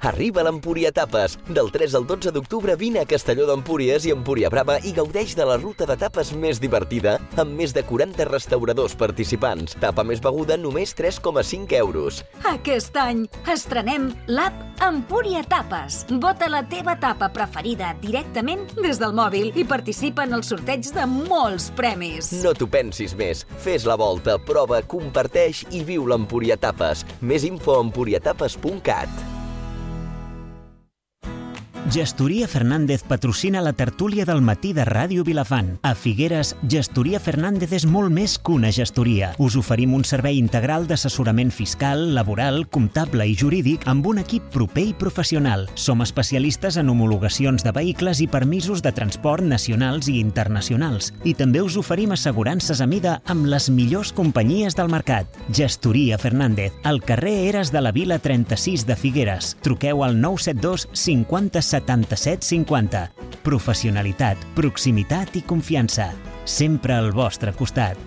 Arriba l'Empúria Tapes. Del tres al dotze d'octubre vine a Castelló d'Empúries i Empúria Brava i gaudeix de la ruta de tapes més divertida amb més de quaranta restauradors participants. Tapa més beguda només tres coma cinc euros. Aquest any estrenem l'app Empúria Tapes. Vota la teva tapa preferida directament des del mòbil i participa en el sorteig de molts premis. No t'ho pensis més. Fes la volta, prova, comparteix i viu l'Empúria Tapes. Més info a empuriatapes punt cat. Gestoria Fernández patrocina la tertúlia del matí de Ràdio Vilafant. A Figueres, Gestoria Fernández és molt més que una gestoria. Us oferim un servei integral d'assessorament fiscal, laboral, comptable i jurídic amb un equip proper i professional. Som especialistes en homologacions de vehicles i permisos de transport nacionals i internacionals. I també us oferim assegurances a mida amb les millors companyies del mercat. Gestoria Fernández, al carrer Eres de la Vila trenta-sis de Figueres. Truqueu al nou set dos cinquanta setanta-set cinquanta. Professionalitat, proximitat i confiança. Sempre al vostre costat.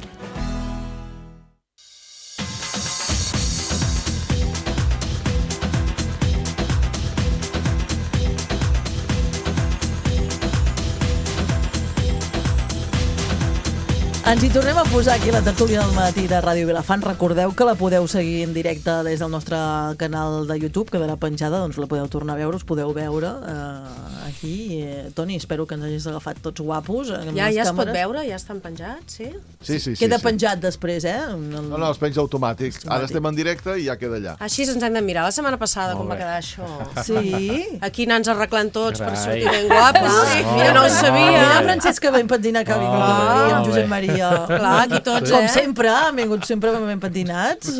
Ens hi tornem a posar aquí la tertúlia del matí de Ràdio Vilafant. Recordeu que la podeu seguir en directe des del nostre canal de YouTube, quedarà penjada, doncs la podeu tornar a veure, us podeu veure eh, aquí. Eh, Toni, espero que ens hagis agafat tots guapos. Ja, ja es pot veure, ja estan penjats, sí? Sí, sí, sí. Queda sí. penjat després, eh? El... No, no, es penja automàtic. Ara estem en directe i ja queda allà. Així ens hem de mirar. La setmana passada com va quedar això. Sí? Aquí anants arreglant tots per sortir ben guapos. Sí. Mira, no ho sabia. Mira, Francesc, que ben pentinat que ha vingut avui, amb Josep Maria. Clar, aquí tots, com eh? sempre, han vingut sempre ben pentinats.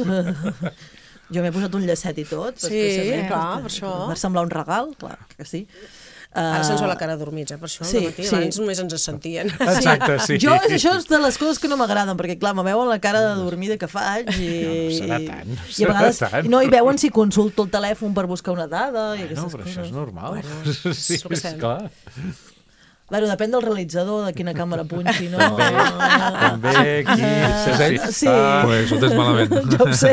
Jo m'he posat un llacet i tot. Sí, clar, per això. Va semblar un regal, clar que sí. Ara se'ns va la cara adormits, eh, per això, sí, matí, sí. Abans només ens sentien. Exacte, sí. Jo, això és de les coses que no m'agraden, perquè, clar, me veuen la cara de dormida que faig i... No serà tant, no i a vegades tant. no hi veuen si consulto el telèfon per buscar una dada i bueno, aquestes però coses. això és normal. Bueno, sí, és clar. Bueno, depèn del realitzador, de quina càmera punxi, no? També aquí... Uh, sí, sí. Pues ho tens malament. Jo ho sé.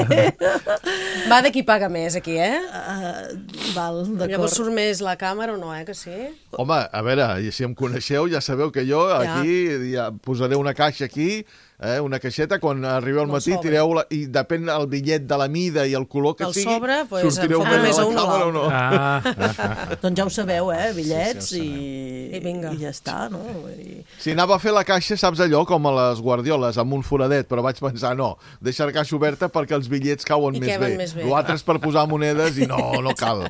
Va de qui paga més, aquí, eh? Uh, val, d'acord. Llavors surt més la càmera o no, eh, que sí? Home, a veure, i si em coneixeu ja sabeu que jo aquí ja posaré una caixa aquí, eh, una caixeta, quan arribeu al matí tireu la, i depèn el bitllet de la mida i el color que el sigui, sobre, pues, sortireu bé més a la càmera o no. Ah, ah, doncs ja ho sabeu, eh? Bitllets sí, sí, i, I, vinga. i ja està, no? I... Si anava a fer la caixa, saps allò, com a les guardioles, amb un foradet, però vaig pensar, no, deixar la caixa oberta perquè els bitllets cauen I més bé. més bé. L'altre és per posar monedes i no, no cal.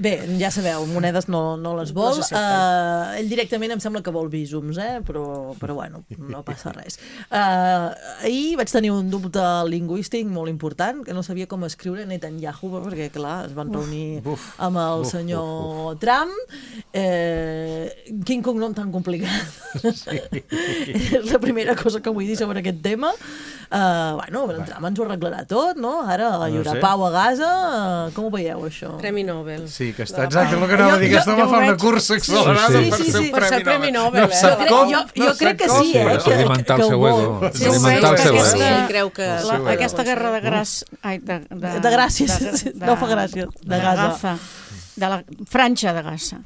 Bé, ja sabeu, monedes no, no les vol. No uh, ell directament em sembla que vol visums, eh? però, però bueno, no passa res. Uh, ahir vaig tenir un dubte lingüístic molt important, que no sabia com escriure Netanyahu, perquè clar, es van reunir uf, amb el uf, senyor uf, uf. Trump. Eh, quin cognom tan complicat. Sí. És la primera cosa que vull dir sobre aquest tema. Uh, bueno, el Trump ens ho arreglarà tot, no? Ara hi haurà no sé. pau a Gaza. Uh, com ho veieu, això? Premi Nobel. Sí, que està exacte el que anava a dir, que estava fent una cursa accelerada sí, sí, per sí, ser sí. un premi, premi Nobel. No sap com, jo jo no crec que com. sí, eh? Sí, alimentar el seu ego. Sí, Alimentar el seu ego. Sí, creu que... La, aquesta guerra de gràs... Ai, de, de, de gràcies, de, de, no fa gràcia. De, de Gaza. Gaza. De la franja de Gaza.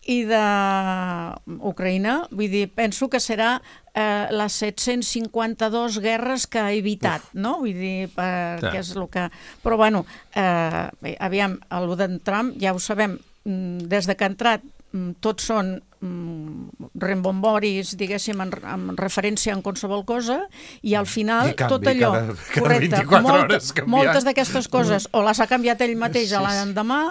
I d'Ucraïna, vull dir, penso que serà eh, les set-cents cinquanta-dos guerres que ha evitat, Uf. no? Vull dir, perquè ja. és el que... Però, bueno, eh, bé, aviam, el d'en Trump, ja ho sabem, des de que ha entrat, tots són mm, rembomboris, diguéssim, en, en referència en qualsevol cosa, i al final I canvi, tot allò, cada, cada correcte, molt, moltes d'aquestes coses, o les ha canviat ell mateix a l'endemà,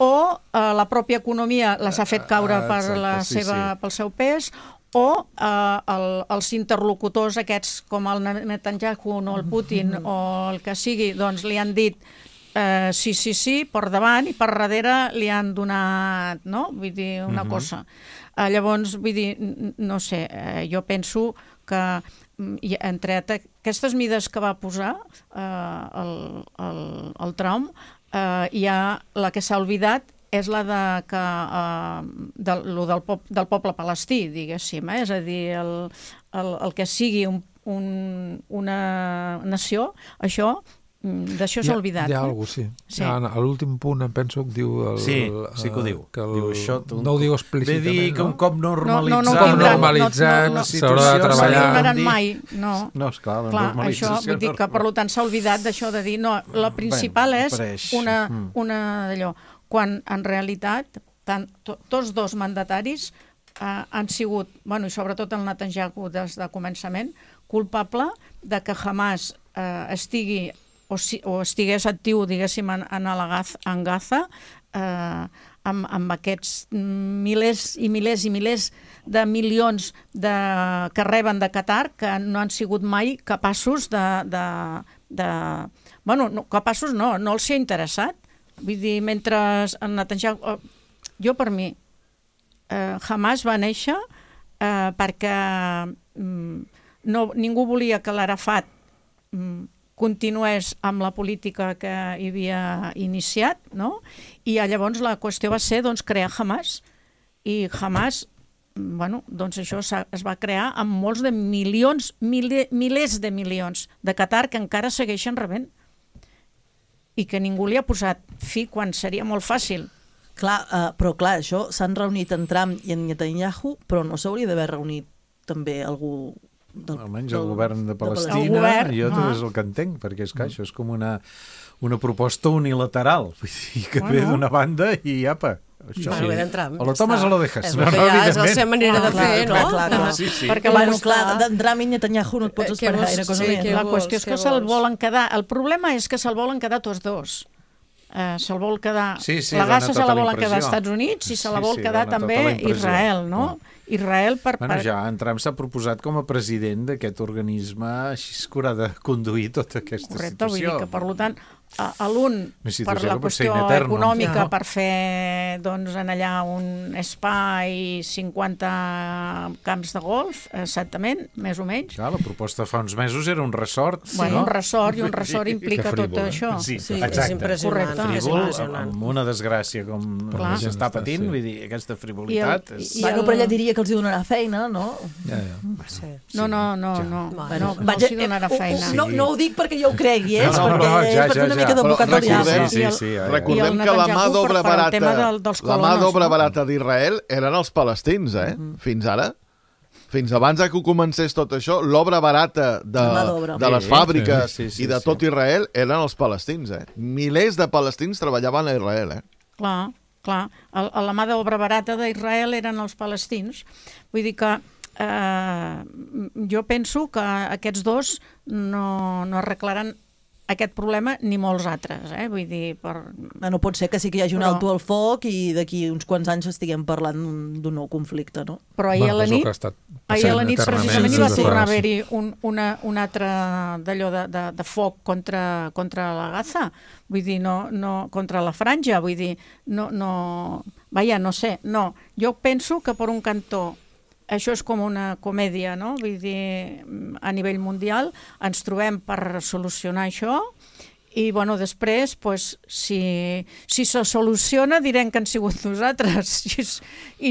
o eh, la pròpia economia les ha fet caure per Exacte, la sí, seva, sí. pel seu pes, o eh, el, els interlocutors aquests com el Netanyahu o el Putin mm-hmm. o el que sigui, doncs li han dit eh, sí, sí, sí, per davant, i per darrere li han donat, no? Vull dir, una mm-hmm. cosa. Eh, llavors, vull dir, no sé, eh, jo penso que entre aquestes mides que va posar eh, el, el, el Trump, Uh, hi ha la que s'ha oblidat és la de que, uh, de, lo del, pop, del poble palestí, diguéssim, eh? És a dir, el, el, el que sigui un, un, una nació, això, d'això s'ha oblidat. Hi ha, hi ha eh? alguna cosa, sí. sí. Ja, a l'últim punt em penso que diu... El, sí, sí que ho diu. Que el, diu això, un, no ho diu explícitament, ve dir que un cop normalitzat... No, no, no, no, normalitzat, no, no, s'haurà de treballar... No donaran mai, no. No, esclar, la Clar, normalització... Això, vull dir que, per tant, s'ha oblidat d'això de dir... No, la principal ben, és pareix. una, mm. una d'allò. Quan, en realitat, tant, to, tots dos mandataris eh, han sigut, bueno, i sobretot el Netanyahu des de començament, culpable de que Hamas eh, estigui o, si, o estigués actiu, diguéssim, en, en, Gaza, en Gaza, eh, amb, amb aquests milers i milers i milers de milions de, que reben de Qatar, que no han sigut mai capaços de... de, de bueno, no, capaços no, no els hi ha interessat. Vull dir, mentre en Netanyahu... Jo, per mi, eh, Hamas va néixer eh, perquè mm, no, ningú volia que l'Arafat mm, continués amb la política que hi havia iniciat, no? I llavors la qüestió va ser doncs, crear Hamas. I Hamas, bueno, doncs això es va crear amb molts de milions, mil, milers de milions de Qatar que encara segueixen rebent. I que ningú li ha posat fi quan seria molt fàcil. Clar, uh, però clar, això s'han reunit en Trump i en Netanyahu, però no s'hauria d'haver reunit també algú almenys el govern de Palestina, jo també és el que entenc, perquè és que això és com una, una proposta unilateral, vull dir, que ve d'una banda i apa, això. Bueno, ve d'entrar. O lo tomes o lo dejes. És no, no, ja és la seva manera de fer, no? Clar, clar. Sí, sí. Perquè, bueno, clar, d'entrar a mi Netanyahu no et pots esperar gaire cosa més. La qüestió és que se'l volen quedar, el problema és que se'l volen quedar tots dos. Uh, se'l vol quedar, sí, sí, la Gaza tota se la volen quedar als Estats Units i se la vol sí, sí, quedar també tota Israel, no? Mm. Israel per... Bueno, per... ja en Trump s'ha proposat com a president d'aquest organisme així que haurà de conduir tota aquesta Correcte, situació. Vull dir que, per tant, a, a l'un per la qüestió eterno, econòmica, no? per fer doncs, en allà un spa i cinquanta camps de golf, exactament, més o menys. Clar, la proposta fa uns mesos era un resort. Bueno, no? un resort, i un resort implica tot això. Sí, sí, exacte. és impressionant. Frívol, amb una desgràcia com s'està patint, vull dir, aquesta frivolitat... I el, i bueno, però ella diria que els hi donarà feina, no? Ja, ja. Sí. No, no, no, ja. no, bueno, no, no els hi donarà feina. Sí. No, no ho dic perquè jo ho cregui, eh? No, no, perquè no, ja, és per fer una ja, mica d'advocat del diable. Sí, sí, sí, recordem que la mà d'obra barata, la mà d'obra barata d'Israel eren els palestins, eh? Fins ara. Fins abans que comencés tot això, l'obra barata de, de les fàbriques sí, sí, sí, i de tot Israel eren els palestins, eh? Milers de palestins treballaven a Israel, eh? Clar, clar. El, la mà d'obra barata d'Israel eren els palestins. Vull dir que eh, jo penso que aquests dos no, no arreglaran aquest problema ni molts altres, eh? Vull dir, per... No pot ser que sí que hi hagi un però... alto al foc i d'aquí uns quants anys estiguem parlant d'un nou conflicte, no? Però ahir a la nit, ahir a la nit precisament hi va tornar a haver-hi un, una, un altre d'allò de, de, de foc contra, contra la Gaza, vull dir, no, no, contra la franja, vull dir, no, no... Vaja, no sé, no. Jo penso que per un cantó això és com una comèdia, no? Vull dir, a nivell mundial ens trobem per solucionar això i, bueno, després, pues, si, si se soluciona direm que han sigut nosaltres i,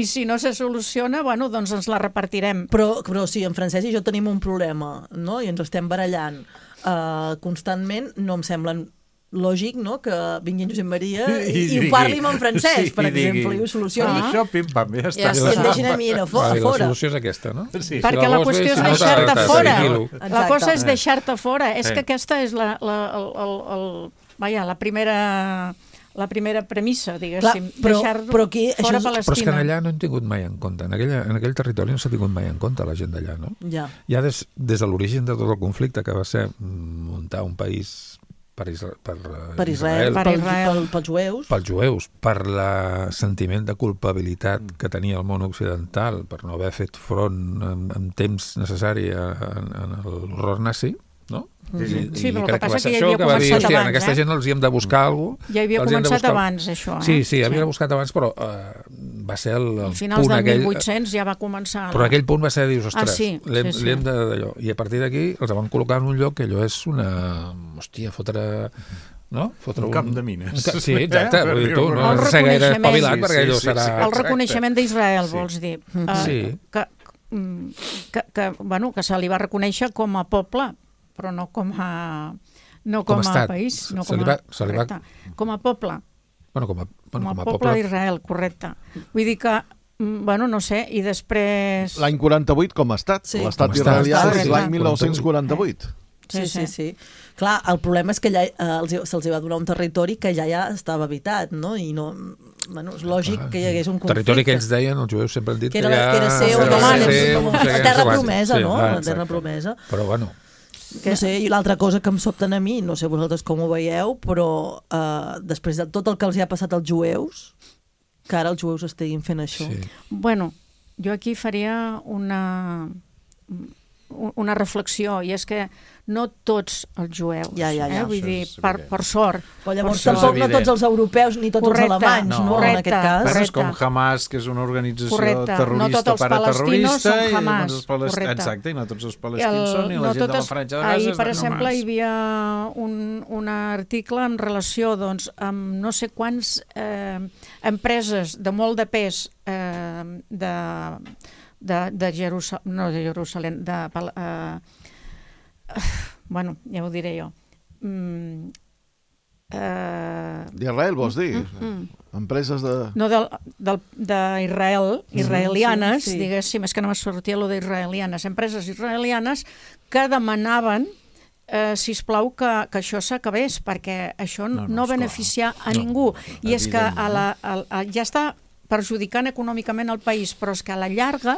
i si no se soluciona, bueno, doncs ens la repartirem. Però, però sí, en Francesc i jo tenim un problema, no? I ens estem barallant uh, constantment, no em semblen lògic, no?, que vingui en Josep Maria i, i, i ho parli en francès, sí, per exemple, i ho solucioni. Ah. Això, pim, pam, ja està. Ja I et deixen a mi a fora. La solució és aquesta, no? Sí. Perquè la qüestió és deixar-te fora. La cosa és deixar-te fora. És que aquesta és la, la, el, el, el, vaja, la primera... la primera premissa, diguéssim, deixar però aquí, fora és... Palestina. Però és que allà no hem tingut mai en compte, en, aquella, en aquell territori no s'ha tingut mai en compte la gent d'allà, no? Ja. Ja des, des de l'origen de tot el conflicte, que va ser muntar un país per, Isra per, per Israel, Israel per Israel, pels jueus, pels jueus, per el sentiment de culpabilitat que tenia el món occidental per no haver fet front en, en temps necessari en, en l'horror nazi, no? Sí, sí. I, sí, i però el crec que passa que va ser que ja això, havia que va dir, començat hòstia, abans, en aquesta eh? gent els hi hem de buscar alguna cosa. Ja havia començat buscar... abans, això, eh? Sí, sí, havia sí. buscat abans, però eh, va ser el, el finals punt del aquell... mil vuit-cents ja va començar... Però aquell punt va ser, dius, ostres, ah, sí, l'hem sí, sí. d'allò. I a partir d'aquí els van col·locar en un lloc que allò és una... Hòstia, fotre... No? Fotre un, un camp de mines. Un... Sí, exacte. Eh? Vull dir, tu no has de ser gaire espavilat sí, perquè allò sí, serà... Sí, el reconeixement d'Israel, sí. vols dir. Uh, sí. Que, que, que, bueno, que se li va reconèixer com a poble, però no com a... No com, com a país, no com a, va, correcte. Va... Com a poble. Bueno, com a, bueno, com a, com a poble, poble d'Israel, correcte. Vull dir que, bueno, no sé, i després... L'any quaranta-vuit com a estat. Sí. L'estat israelià és l'any mil nou-cents quaranta-vuit. Sí, sí, sí. Clar, el problema és que allà eh, se'ls va donar un territori que ja ja estava habitat, no? I no... Bueno, és lògic ah, que hi hagués un conflicte. Territori que ells deien, els jueus sempre han dit que, era, que ja... que era seu, que no, era seu, la terra promesa, sí, no? Ah, la terra promesa. Però bueno... No sé, i l'altra cosa que em sobten a mi, no sé vosaltres com ho veieu, però eh, després de tot el que els hi ha passat als jueus, que ara els jueus estiguin fent això. Sí. Bueno, jo aquí faria una, una reflexió, i és que no tots els jueus, ja, ja, ja. Eh? Vull dir, per, per sort. Però llavors tampoc no tots els europeus ni tots correcte, els alemanys, no, no correcte, en aquest cas. Però és com Hamas, que és una organització correcte. terrorista, no paraterrorista, i Hamas, els palest... exacte, i no tots els palestins el, són, i la no gent totes... de la Franja de Gaza ahir, és per de exemple, Hamas. Hi havia un, un article en relació doncs, amb no sé quants eh, empreses de molt de pes eh, de, de, de Jerusalem, no de Jerusalem, de... Eh, bueno, ja ho diré jo, mm, Uh... D'Israel, vols dir? Mm, mm. Empreses de... No, d'Israel, israelianes, sí, sí, sí. diguéssim, és que no me sortia allò d'israelianes, empreses israelianes que demanaven eh, sisplau, que, que això s'acabés, perquè això no, no, no beneficia a no, ningú. I és que a la, a, a, ja està perjudicant econòmicament el país, però és que a la llarga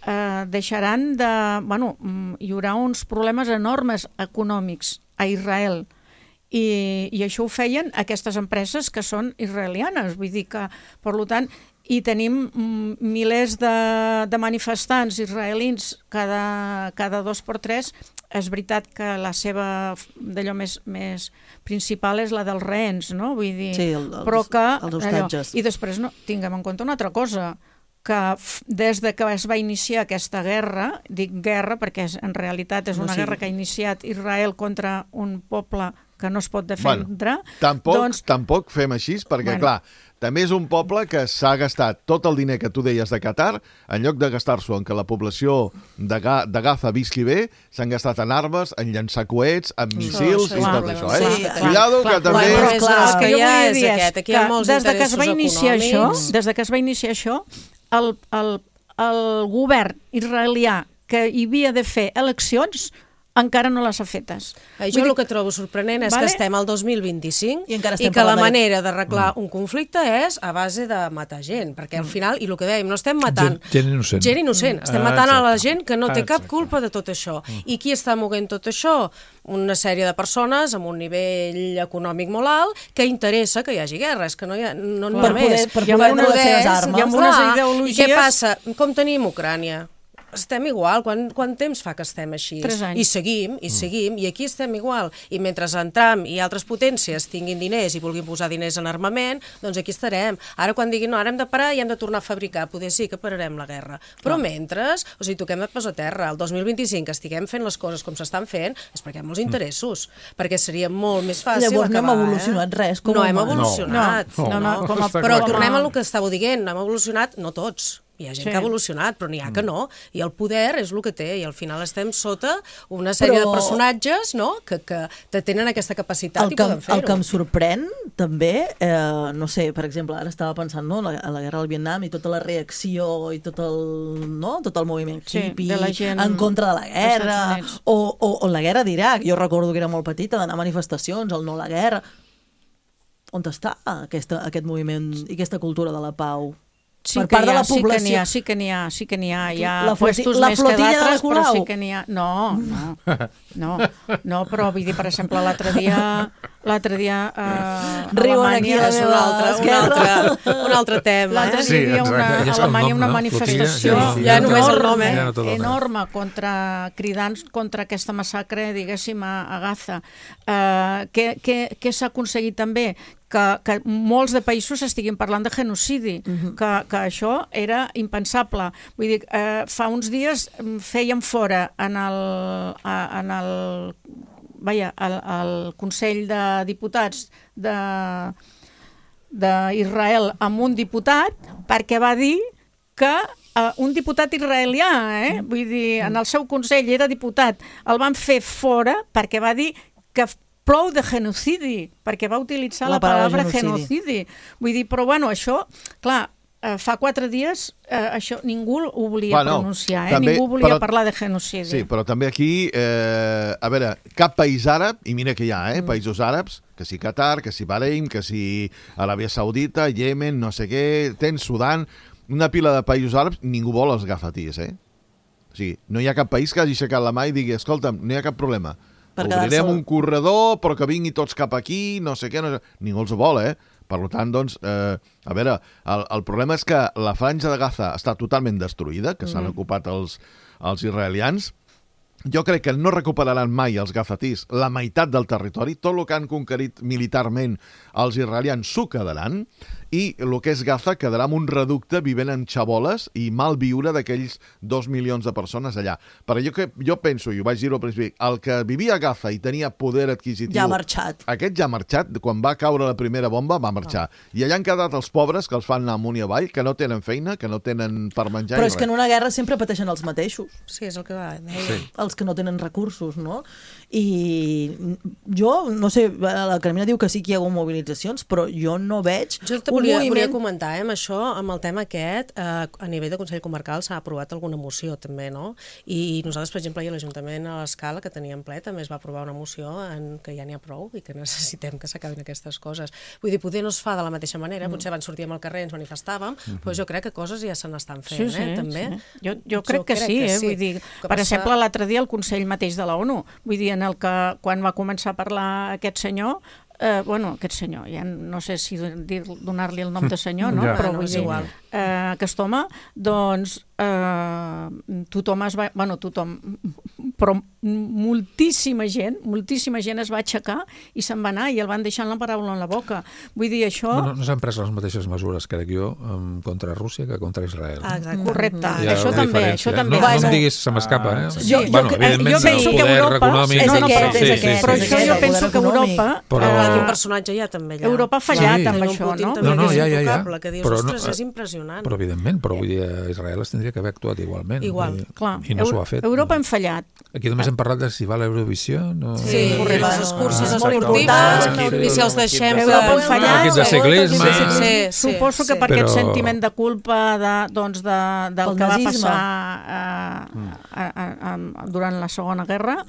eh, deixaran de... Bueno, hi haurà uns problemes enormes econòmics a Israel. I, i això ho feien aquestes empreses que són israelianes, vull dir que, per tant, i tenim milers de, de manifestants israelins cada, cada dos per tres. És veritat que la seva d'allò més, més principal és la dels rehens, no? Vull dir, sí, el, els, però que, els hostatges. Allò, i després no, tinguem en compte una altra cosa, que des de que es va iniciar aquesta guerra, dic guerra perquè és, en realitat és una no, sí. guerra que ha iniciat Israel contra un poble que no es pot defendre. Bueno, tampoc, doncs... tampoc fem així, perquè, bueno. clar, també és un poble que s'ha gastat tot el diner que tu deies de Qatar, en lloc de gastar-s'ho en que la població de, Ga de Gaza visqui bé, s'han gastat en armes, en llançar coets, en missils sí, i tot això. Eh? Sí, Cuidado, clar, que també... Bueno, és, clar, és que jo vull dir és que, que des de que es va iniciar això, des de que es va iniciar això, el, el, el govern israelià que hi havia de fer eleccions encara no les ha fetes. Eh, jo el que trobo sorprenent és vale? que estem al dos mil vint-i-cinc i, i que la manera d'arreglar mm. un conflicte és a base de matar gent, perquè al final, i el que dèiem, no estem matant... Gent, gent innocent. Gent innocent. Estem ah, matant exacte. a la gent que no té ah, cap culpa de tot això. Mm. I qui està moguent tot això? Una sèrie de persones amb un nivell econòmic molt alt que interessa que hi hagi guerra. És que no hi ha, no n'hi ha més. Per poder, per poder poder, les seves armes. Hi ha unes ideologies... I què passa? Com tenim Ucrània? Estem igual. Quant, quant temps fa que estem així? Tres anys. I seguim, i seguim, i aquí estem igual. I mentre en Trump i altres potències tinguin diners i vulguin posar diners en armament, doncs aquí estarem. Ara quan diguin, no, ara hem de parar i hem de tornar a fabricar, poder sí que pararem la guerra. Però mentre, o sigui, toquem de pas a terra. El dos mil vint-i-cinc que estiguem fent les coses com s'estan fent és perquè hi ha molts interessos, perquè seria molt més fàcil Llavors acabar. no hem evolucionat eh? res. Com no hem evolucionat. No, no, no, no, com a, però com a... tornem a el que estàveu dient, no hem evolucionat, no tots. Hi ha gent sí. que ha evolucionat, però n'hi ha que no. I el poder és el que té, i al final estem sota una sèrie però... de personatges no? que, que tenen aquesta capacitat el i poden fer-ho. El que em sorprèn, també, eh, no sé, per exemple, ara estava pensant no, a la guerra del Vietnam i tota la reacció i tot el, no? tot el moviment hippie sí, en contra de la guerra, o, o, o la guerra d'Iraq. Jo recordo que era molt petita, d'anar a manifestacions, el no a la guerra. On està aquesta, aquest moviment i aquesta cultura de la pau? Sí per que part ha, de la població. Sí que n'hi ha, sí que n'hi ha. Hi ha la puestos la més que d'altres, però sí que n'hi ha. No, no, no, no, però vull dir, per exemple, l'altre dia, l'altre dia eh, Riuen aquí és un altre, un altre, un altre tema. L'altre eh? dia hi havia una, a Alemanya una manifestació ja, ja només el nom, eh? enorme contra, cridant contra aquesta massacre, diguéssim, a, a Gaza. Eh, què què, què s'ha aconseguit també? Que, que molts de països estiguin parlant de genocidi, uh-huh. que, que això era impensable. Vull dir, eh, fa uns dies fèiem fora en el, en el, vaja, el, el Consell de Diputats de d'Israel amb un diputat perquè va dir que uh, un diputat israelià, eh? vull dir, en el seu consell era diputat, el van fer fora perquè va dir que plou de genocidi, perquè va utilitzar la, la paraula genocidi. genocidi. Vull dir, però bueno, això, clar, eh, fa quatre dies eh, això ningú ho volia bueno, pronunciar, eh? també, ningú volia però, parlar de genocidi. Sí, però també aquí, eh, a veure, cap país àrab, i mira que hi ha, eh, mm. països àrabs, que si Qatar, que si Bahrein, que si Aràbia Saudita, Yemen, no sé què, tens Sudan, una pila de països àrabs, ningú vol els gafatís, eh? O sigui, no hi ha cap país que hagi aixecat la mà i digui, escolta'm, no hi ha cap problema. Obrirem un corredor, però que vingui tots cap aquí, no sé què, no sé... ningú els vol, eh? Per tant, doncs, eh, a veure, el, el problema és que la franja de Gaza està totalment destruïda, que s'han mm. ocupat els, els israelians. Jo crec que no recuperaran mai els gafatís la meitat del territori, tot el que han conquerit militarment els israelians s'ho quedaran, i el que és Gaza quedarà en un reducte vivent en xaboles i mal viure d'aquells dos milions de persones allà. Però jo, que, jo penso, i ho vaig dir al principi, el que vivia a Gaza i tenia poder adquisitiu... Ja ha marxat. Aquest ja ha marxat. Quan va caure la primera bomba, va marxar. Oh. I allà han quedat els pobres que els fan anar amunt i avall, que no tenen feina, que no tenen per menjar. Però és res. Que en una guerra sempre pateixen els mateixos. Sí, és el que va. Sí. Els els que no tenen recursos, no? I jo, no sé, la Carmina diu que sí que hi ha hagut mobilitzacions, però jo no veig jo te volia, moviment... volia comentar, eh, amb això, amb el tema aquest, eh, a nivell de Consell Comarcal s'ha aprovat alguna moció també, no? I nosaltres, per exemple, a l'Ajuntament a l'Escala, que teníem ple, també es va aprovar una moció en que ja n'hi ha prou i que necessitem que s'acabin aquestes coses. Vull dir, potser no es fa de la mateixa manera, potser abans sortíem al carrer, ens manifestàvem, mm-hmm. però jo crec que coses ja se n'estan fent, sí, sí, eh, també. Sí. Jo, jo crec jo que crec sí, eh? Que sí. Vull dir, que per passa... exemple, l'altre dia el Consell mateix de la ONU, vull dir, en el que quan va començar a parlar aquest senyor, eh, bueno, aquest senyor, ja no sé si donar-li el nom de senyor, no? Ja, però no, vull dir, igual. Eh, aquest home, doncs, eh, tothom es va... Bueno, tothom, però moltíssima gent, moltíssima gent es va aixecar i se'n va anar i el van deixar la paraula en la boca. Vull dir, això... No, no, no s'han pres les mateixes mesures, crec jo, contra Rússia que contra Israel. Ah, correcte, ja això també, això també. No, no em diguis, se m'escapa, eh? Jo, bueno, jo, jo penso que Europa... És no, no, aquest, però, és aquest, però això jo penso que Europa... Però... Quin personatge hi ha també allà. Europa ha fallat sí. amb això, no? No, no, ja, ja, ja. Que dius, però ostres, no, és impressionant. Però evidentment, però vull dir, Israel es tindria que haver actuat igualment. Igual, i, clar. I no s'ho ha fet. Europa hem fallat. Aquí només hem parlat de si va l'Eurovisió. No... Sí, sí, les curses ah, esportives, i si els deixem... Europa hem fallat. Equips de ciclisme... Sí, sí, sí, suposo que per però... aquest sentiment de culpa de, doncs de, del el que va nazisme. passar a, a, a, a, durant la Segona Guerra,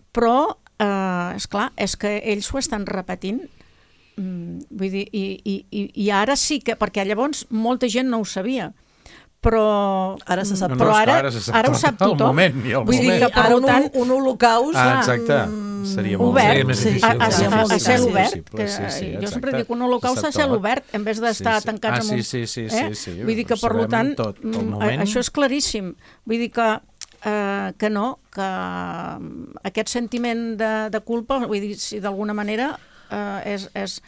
però, eh, esclar, és que ells ho estan repetint. Vull dir, i, i, i ara sí que, perquè llavors molta gent no ho sabia, però ara se sap, no, no, però ara, ara, sap ara ho sap tothom. El moment, i el Vull moment. dir que, per ara tant, un, un holocaust ah, exacte. Seria molt obert, més difícil. a, a, a, a cel obert. Sí, Que, sí, sí, jo sempre dic un holocaust a cel obert, en vez d'estar sí, sí. tancats ah, en un... Sí, sí, sí, eh? sí, sí. Vull dir que, per tant, tot, moment... això és claríssim. Vull dir que, eh, que no, que aquest sentiment de, de culpa, vull dir, si d'alguna manera eh, és... és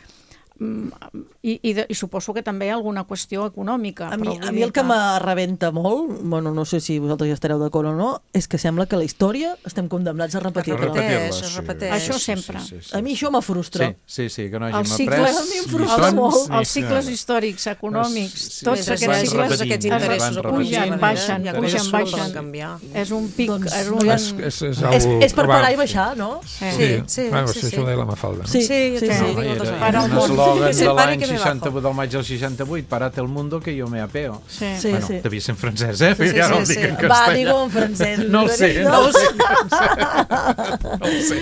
I, i, de, i suposo que també hi ha alguna qüestió econòmica. A mi, però a mi el que m'arrebenta molt, bueno, no sé si vosaltres ja estareu d'acord o no, és que sembla que la història estem condemnats a repetir-la. Es repeteix, es repeteix. Això sempre. Sí, sí, sí, sí. A mi això me frustra. Sí, sí, sí, que no hàgim els cicles, après. A mi em frustra molt. Els cicles històrics, econòmics, sí, tots sí, aquests sí, cicles aquests interessos pugen, baixen, ja pugen, baixen. És un pic, Doncs, és un... És, és, és, és, és per parar i baixar, no? Sí, sí, sí. Bueno, sí, això ho deia la Mafalda. Sí, sí, sí. Era un eslògan de l'any seixanta-vuit, del maig del seixanta-vuit, parate el mundo que yo me apeo. Sí, sí. Bueno, sí. devia ser en francès, eh? Sí, sí, ja no sí, el dic sí. en castellà. Va, digo en francès. No ho sé, no ho sé. No ho sé.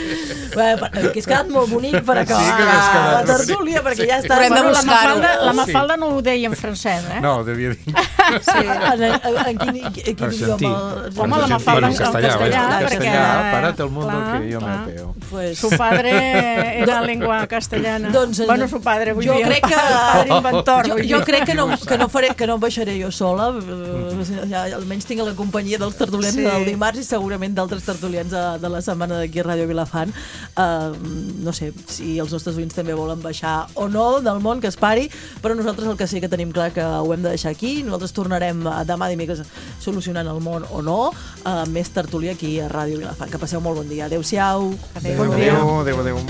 Bueno, que has quedat molt bonic per acabar sí, que quedat la tertúlia, perquè ja està. Però hem de Bueno, la buscar-ho. Mafalda, la Sí. Mafalda no ho deia en francès, eh? No, devia dir... Sí. En, en, en quin, en quin Argentí. idioma? Home, la Mafalda en Bueno, castellà, castellà, En perquè... castellà, parate el mundo clar, que yo me clar. apeo. Pues... Su padre era lengua castellana. Doncs, bueno, su padre, vull jo dir, crec el que- padre inventor. Jo, vull jo dir. crec que no, que no faré, que no em baixaré jo sola, eh, ja, almenys tinc la companyia dels tertulians Sí. del dimarts i segurament d'altres tertulians de, de la setmana d'aquí a Ràdio Vilafant. Uh, no sé si els nostres oients també volen baixar o no del món, que es pari, però nosaltres el que sí que tenim clar que ho hem de deixar aquí. Nosaltres tornarem demà dimecres solucionant el món o no, uh, més tertúlia aquí a Ràdio Vilafant. Que passeu molt bon dia. Adéu-siau. Adéu. Bon dia. Adéu, adéu, adéu.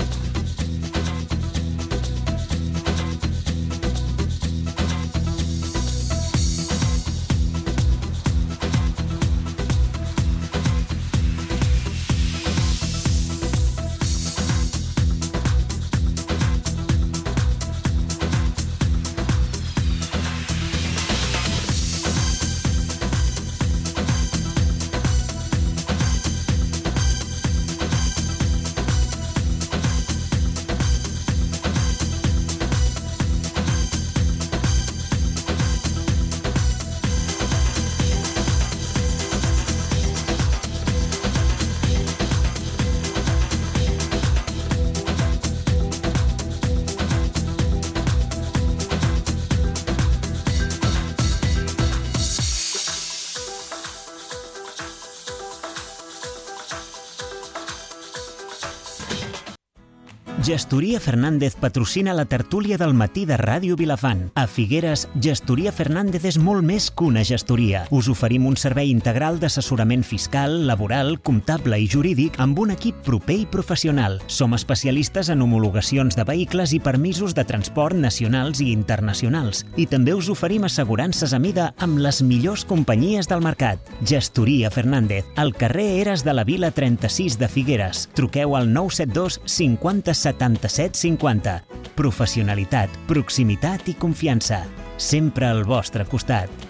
Gestoria Fernández patrocina la tertúlia del matí de Ràdio Vilafant. A Figueres, Gestoria Fernández és molt més que una gestoria. Us oferim un servei integral d'assessorament fiscal, laboral, comptable i jurídic amb un equip proper i professional. Som especialistes en homologacions de vehicles i permisos de transport nacionals i internacionals. I també us oferim assegurances a mida amb les millors companyies del mercat. Gestoria Fernández, al carrer Eres de la Vila trenta-sis de Figueres. Truqueu al nou set dos cinquanta setanta-set cinquanta. Professionalitat, proximitat i confiança. Sempre al vostre costat.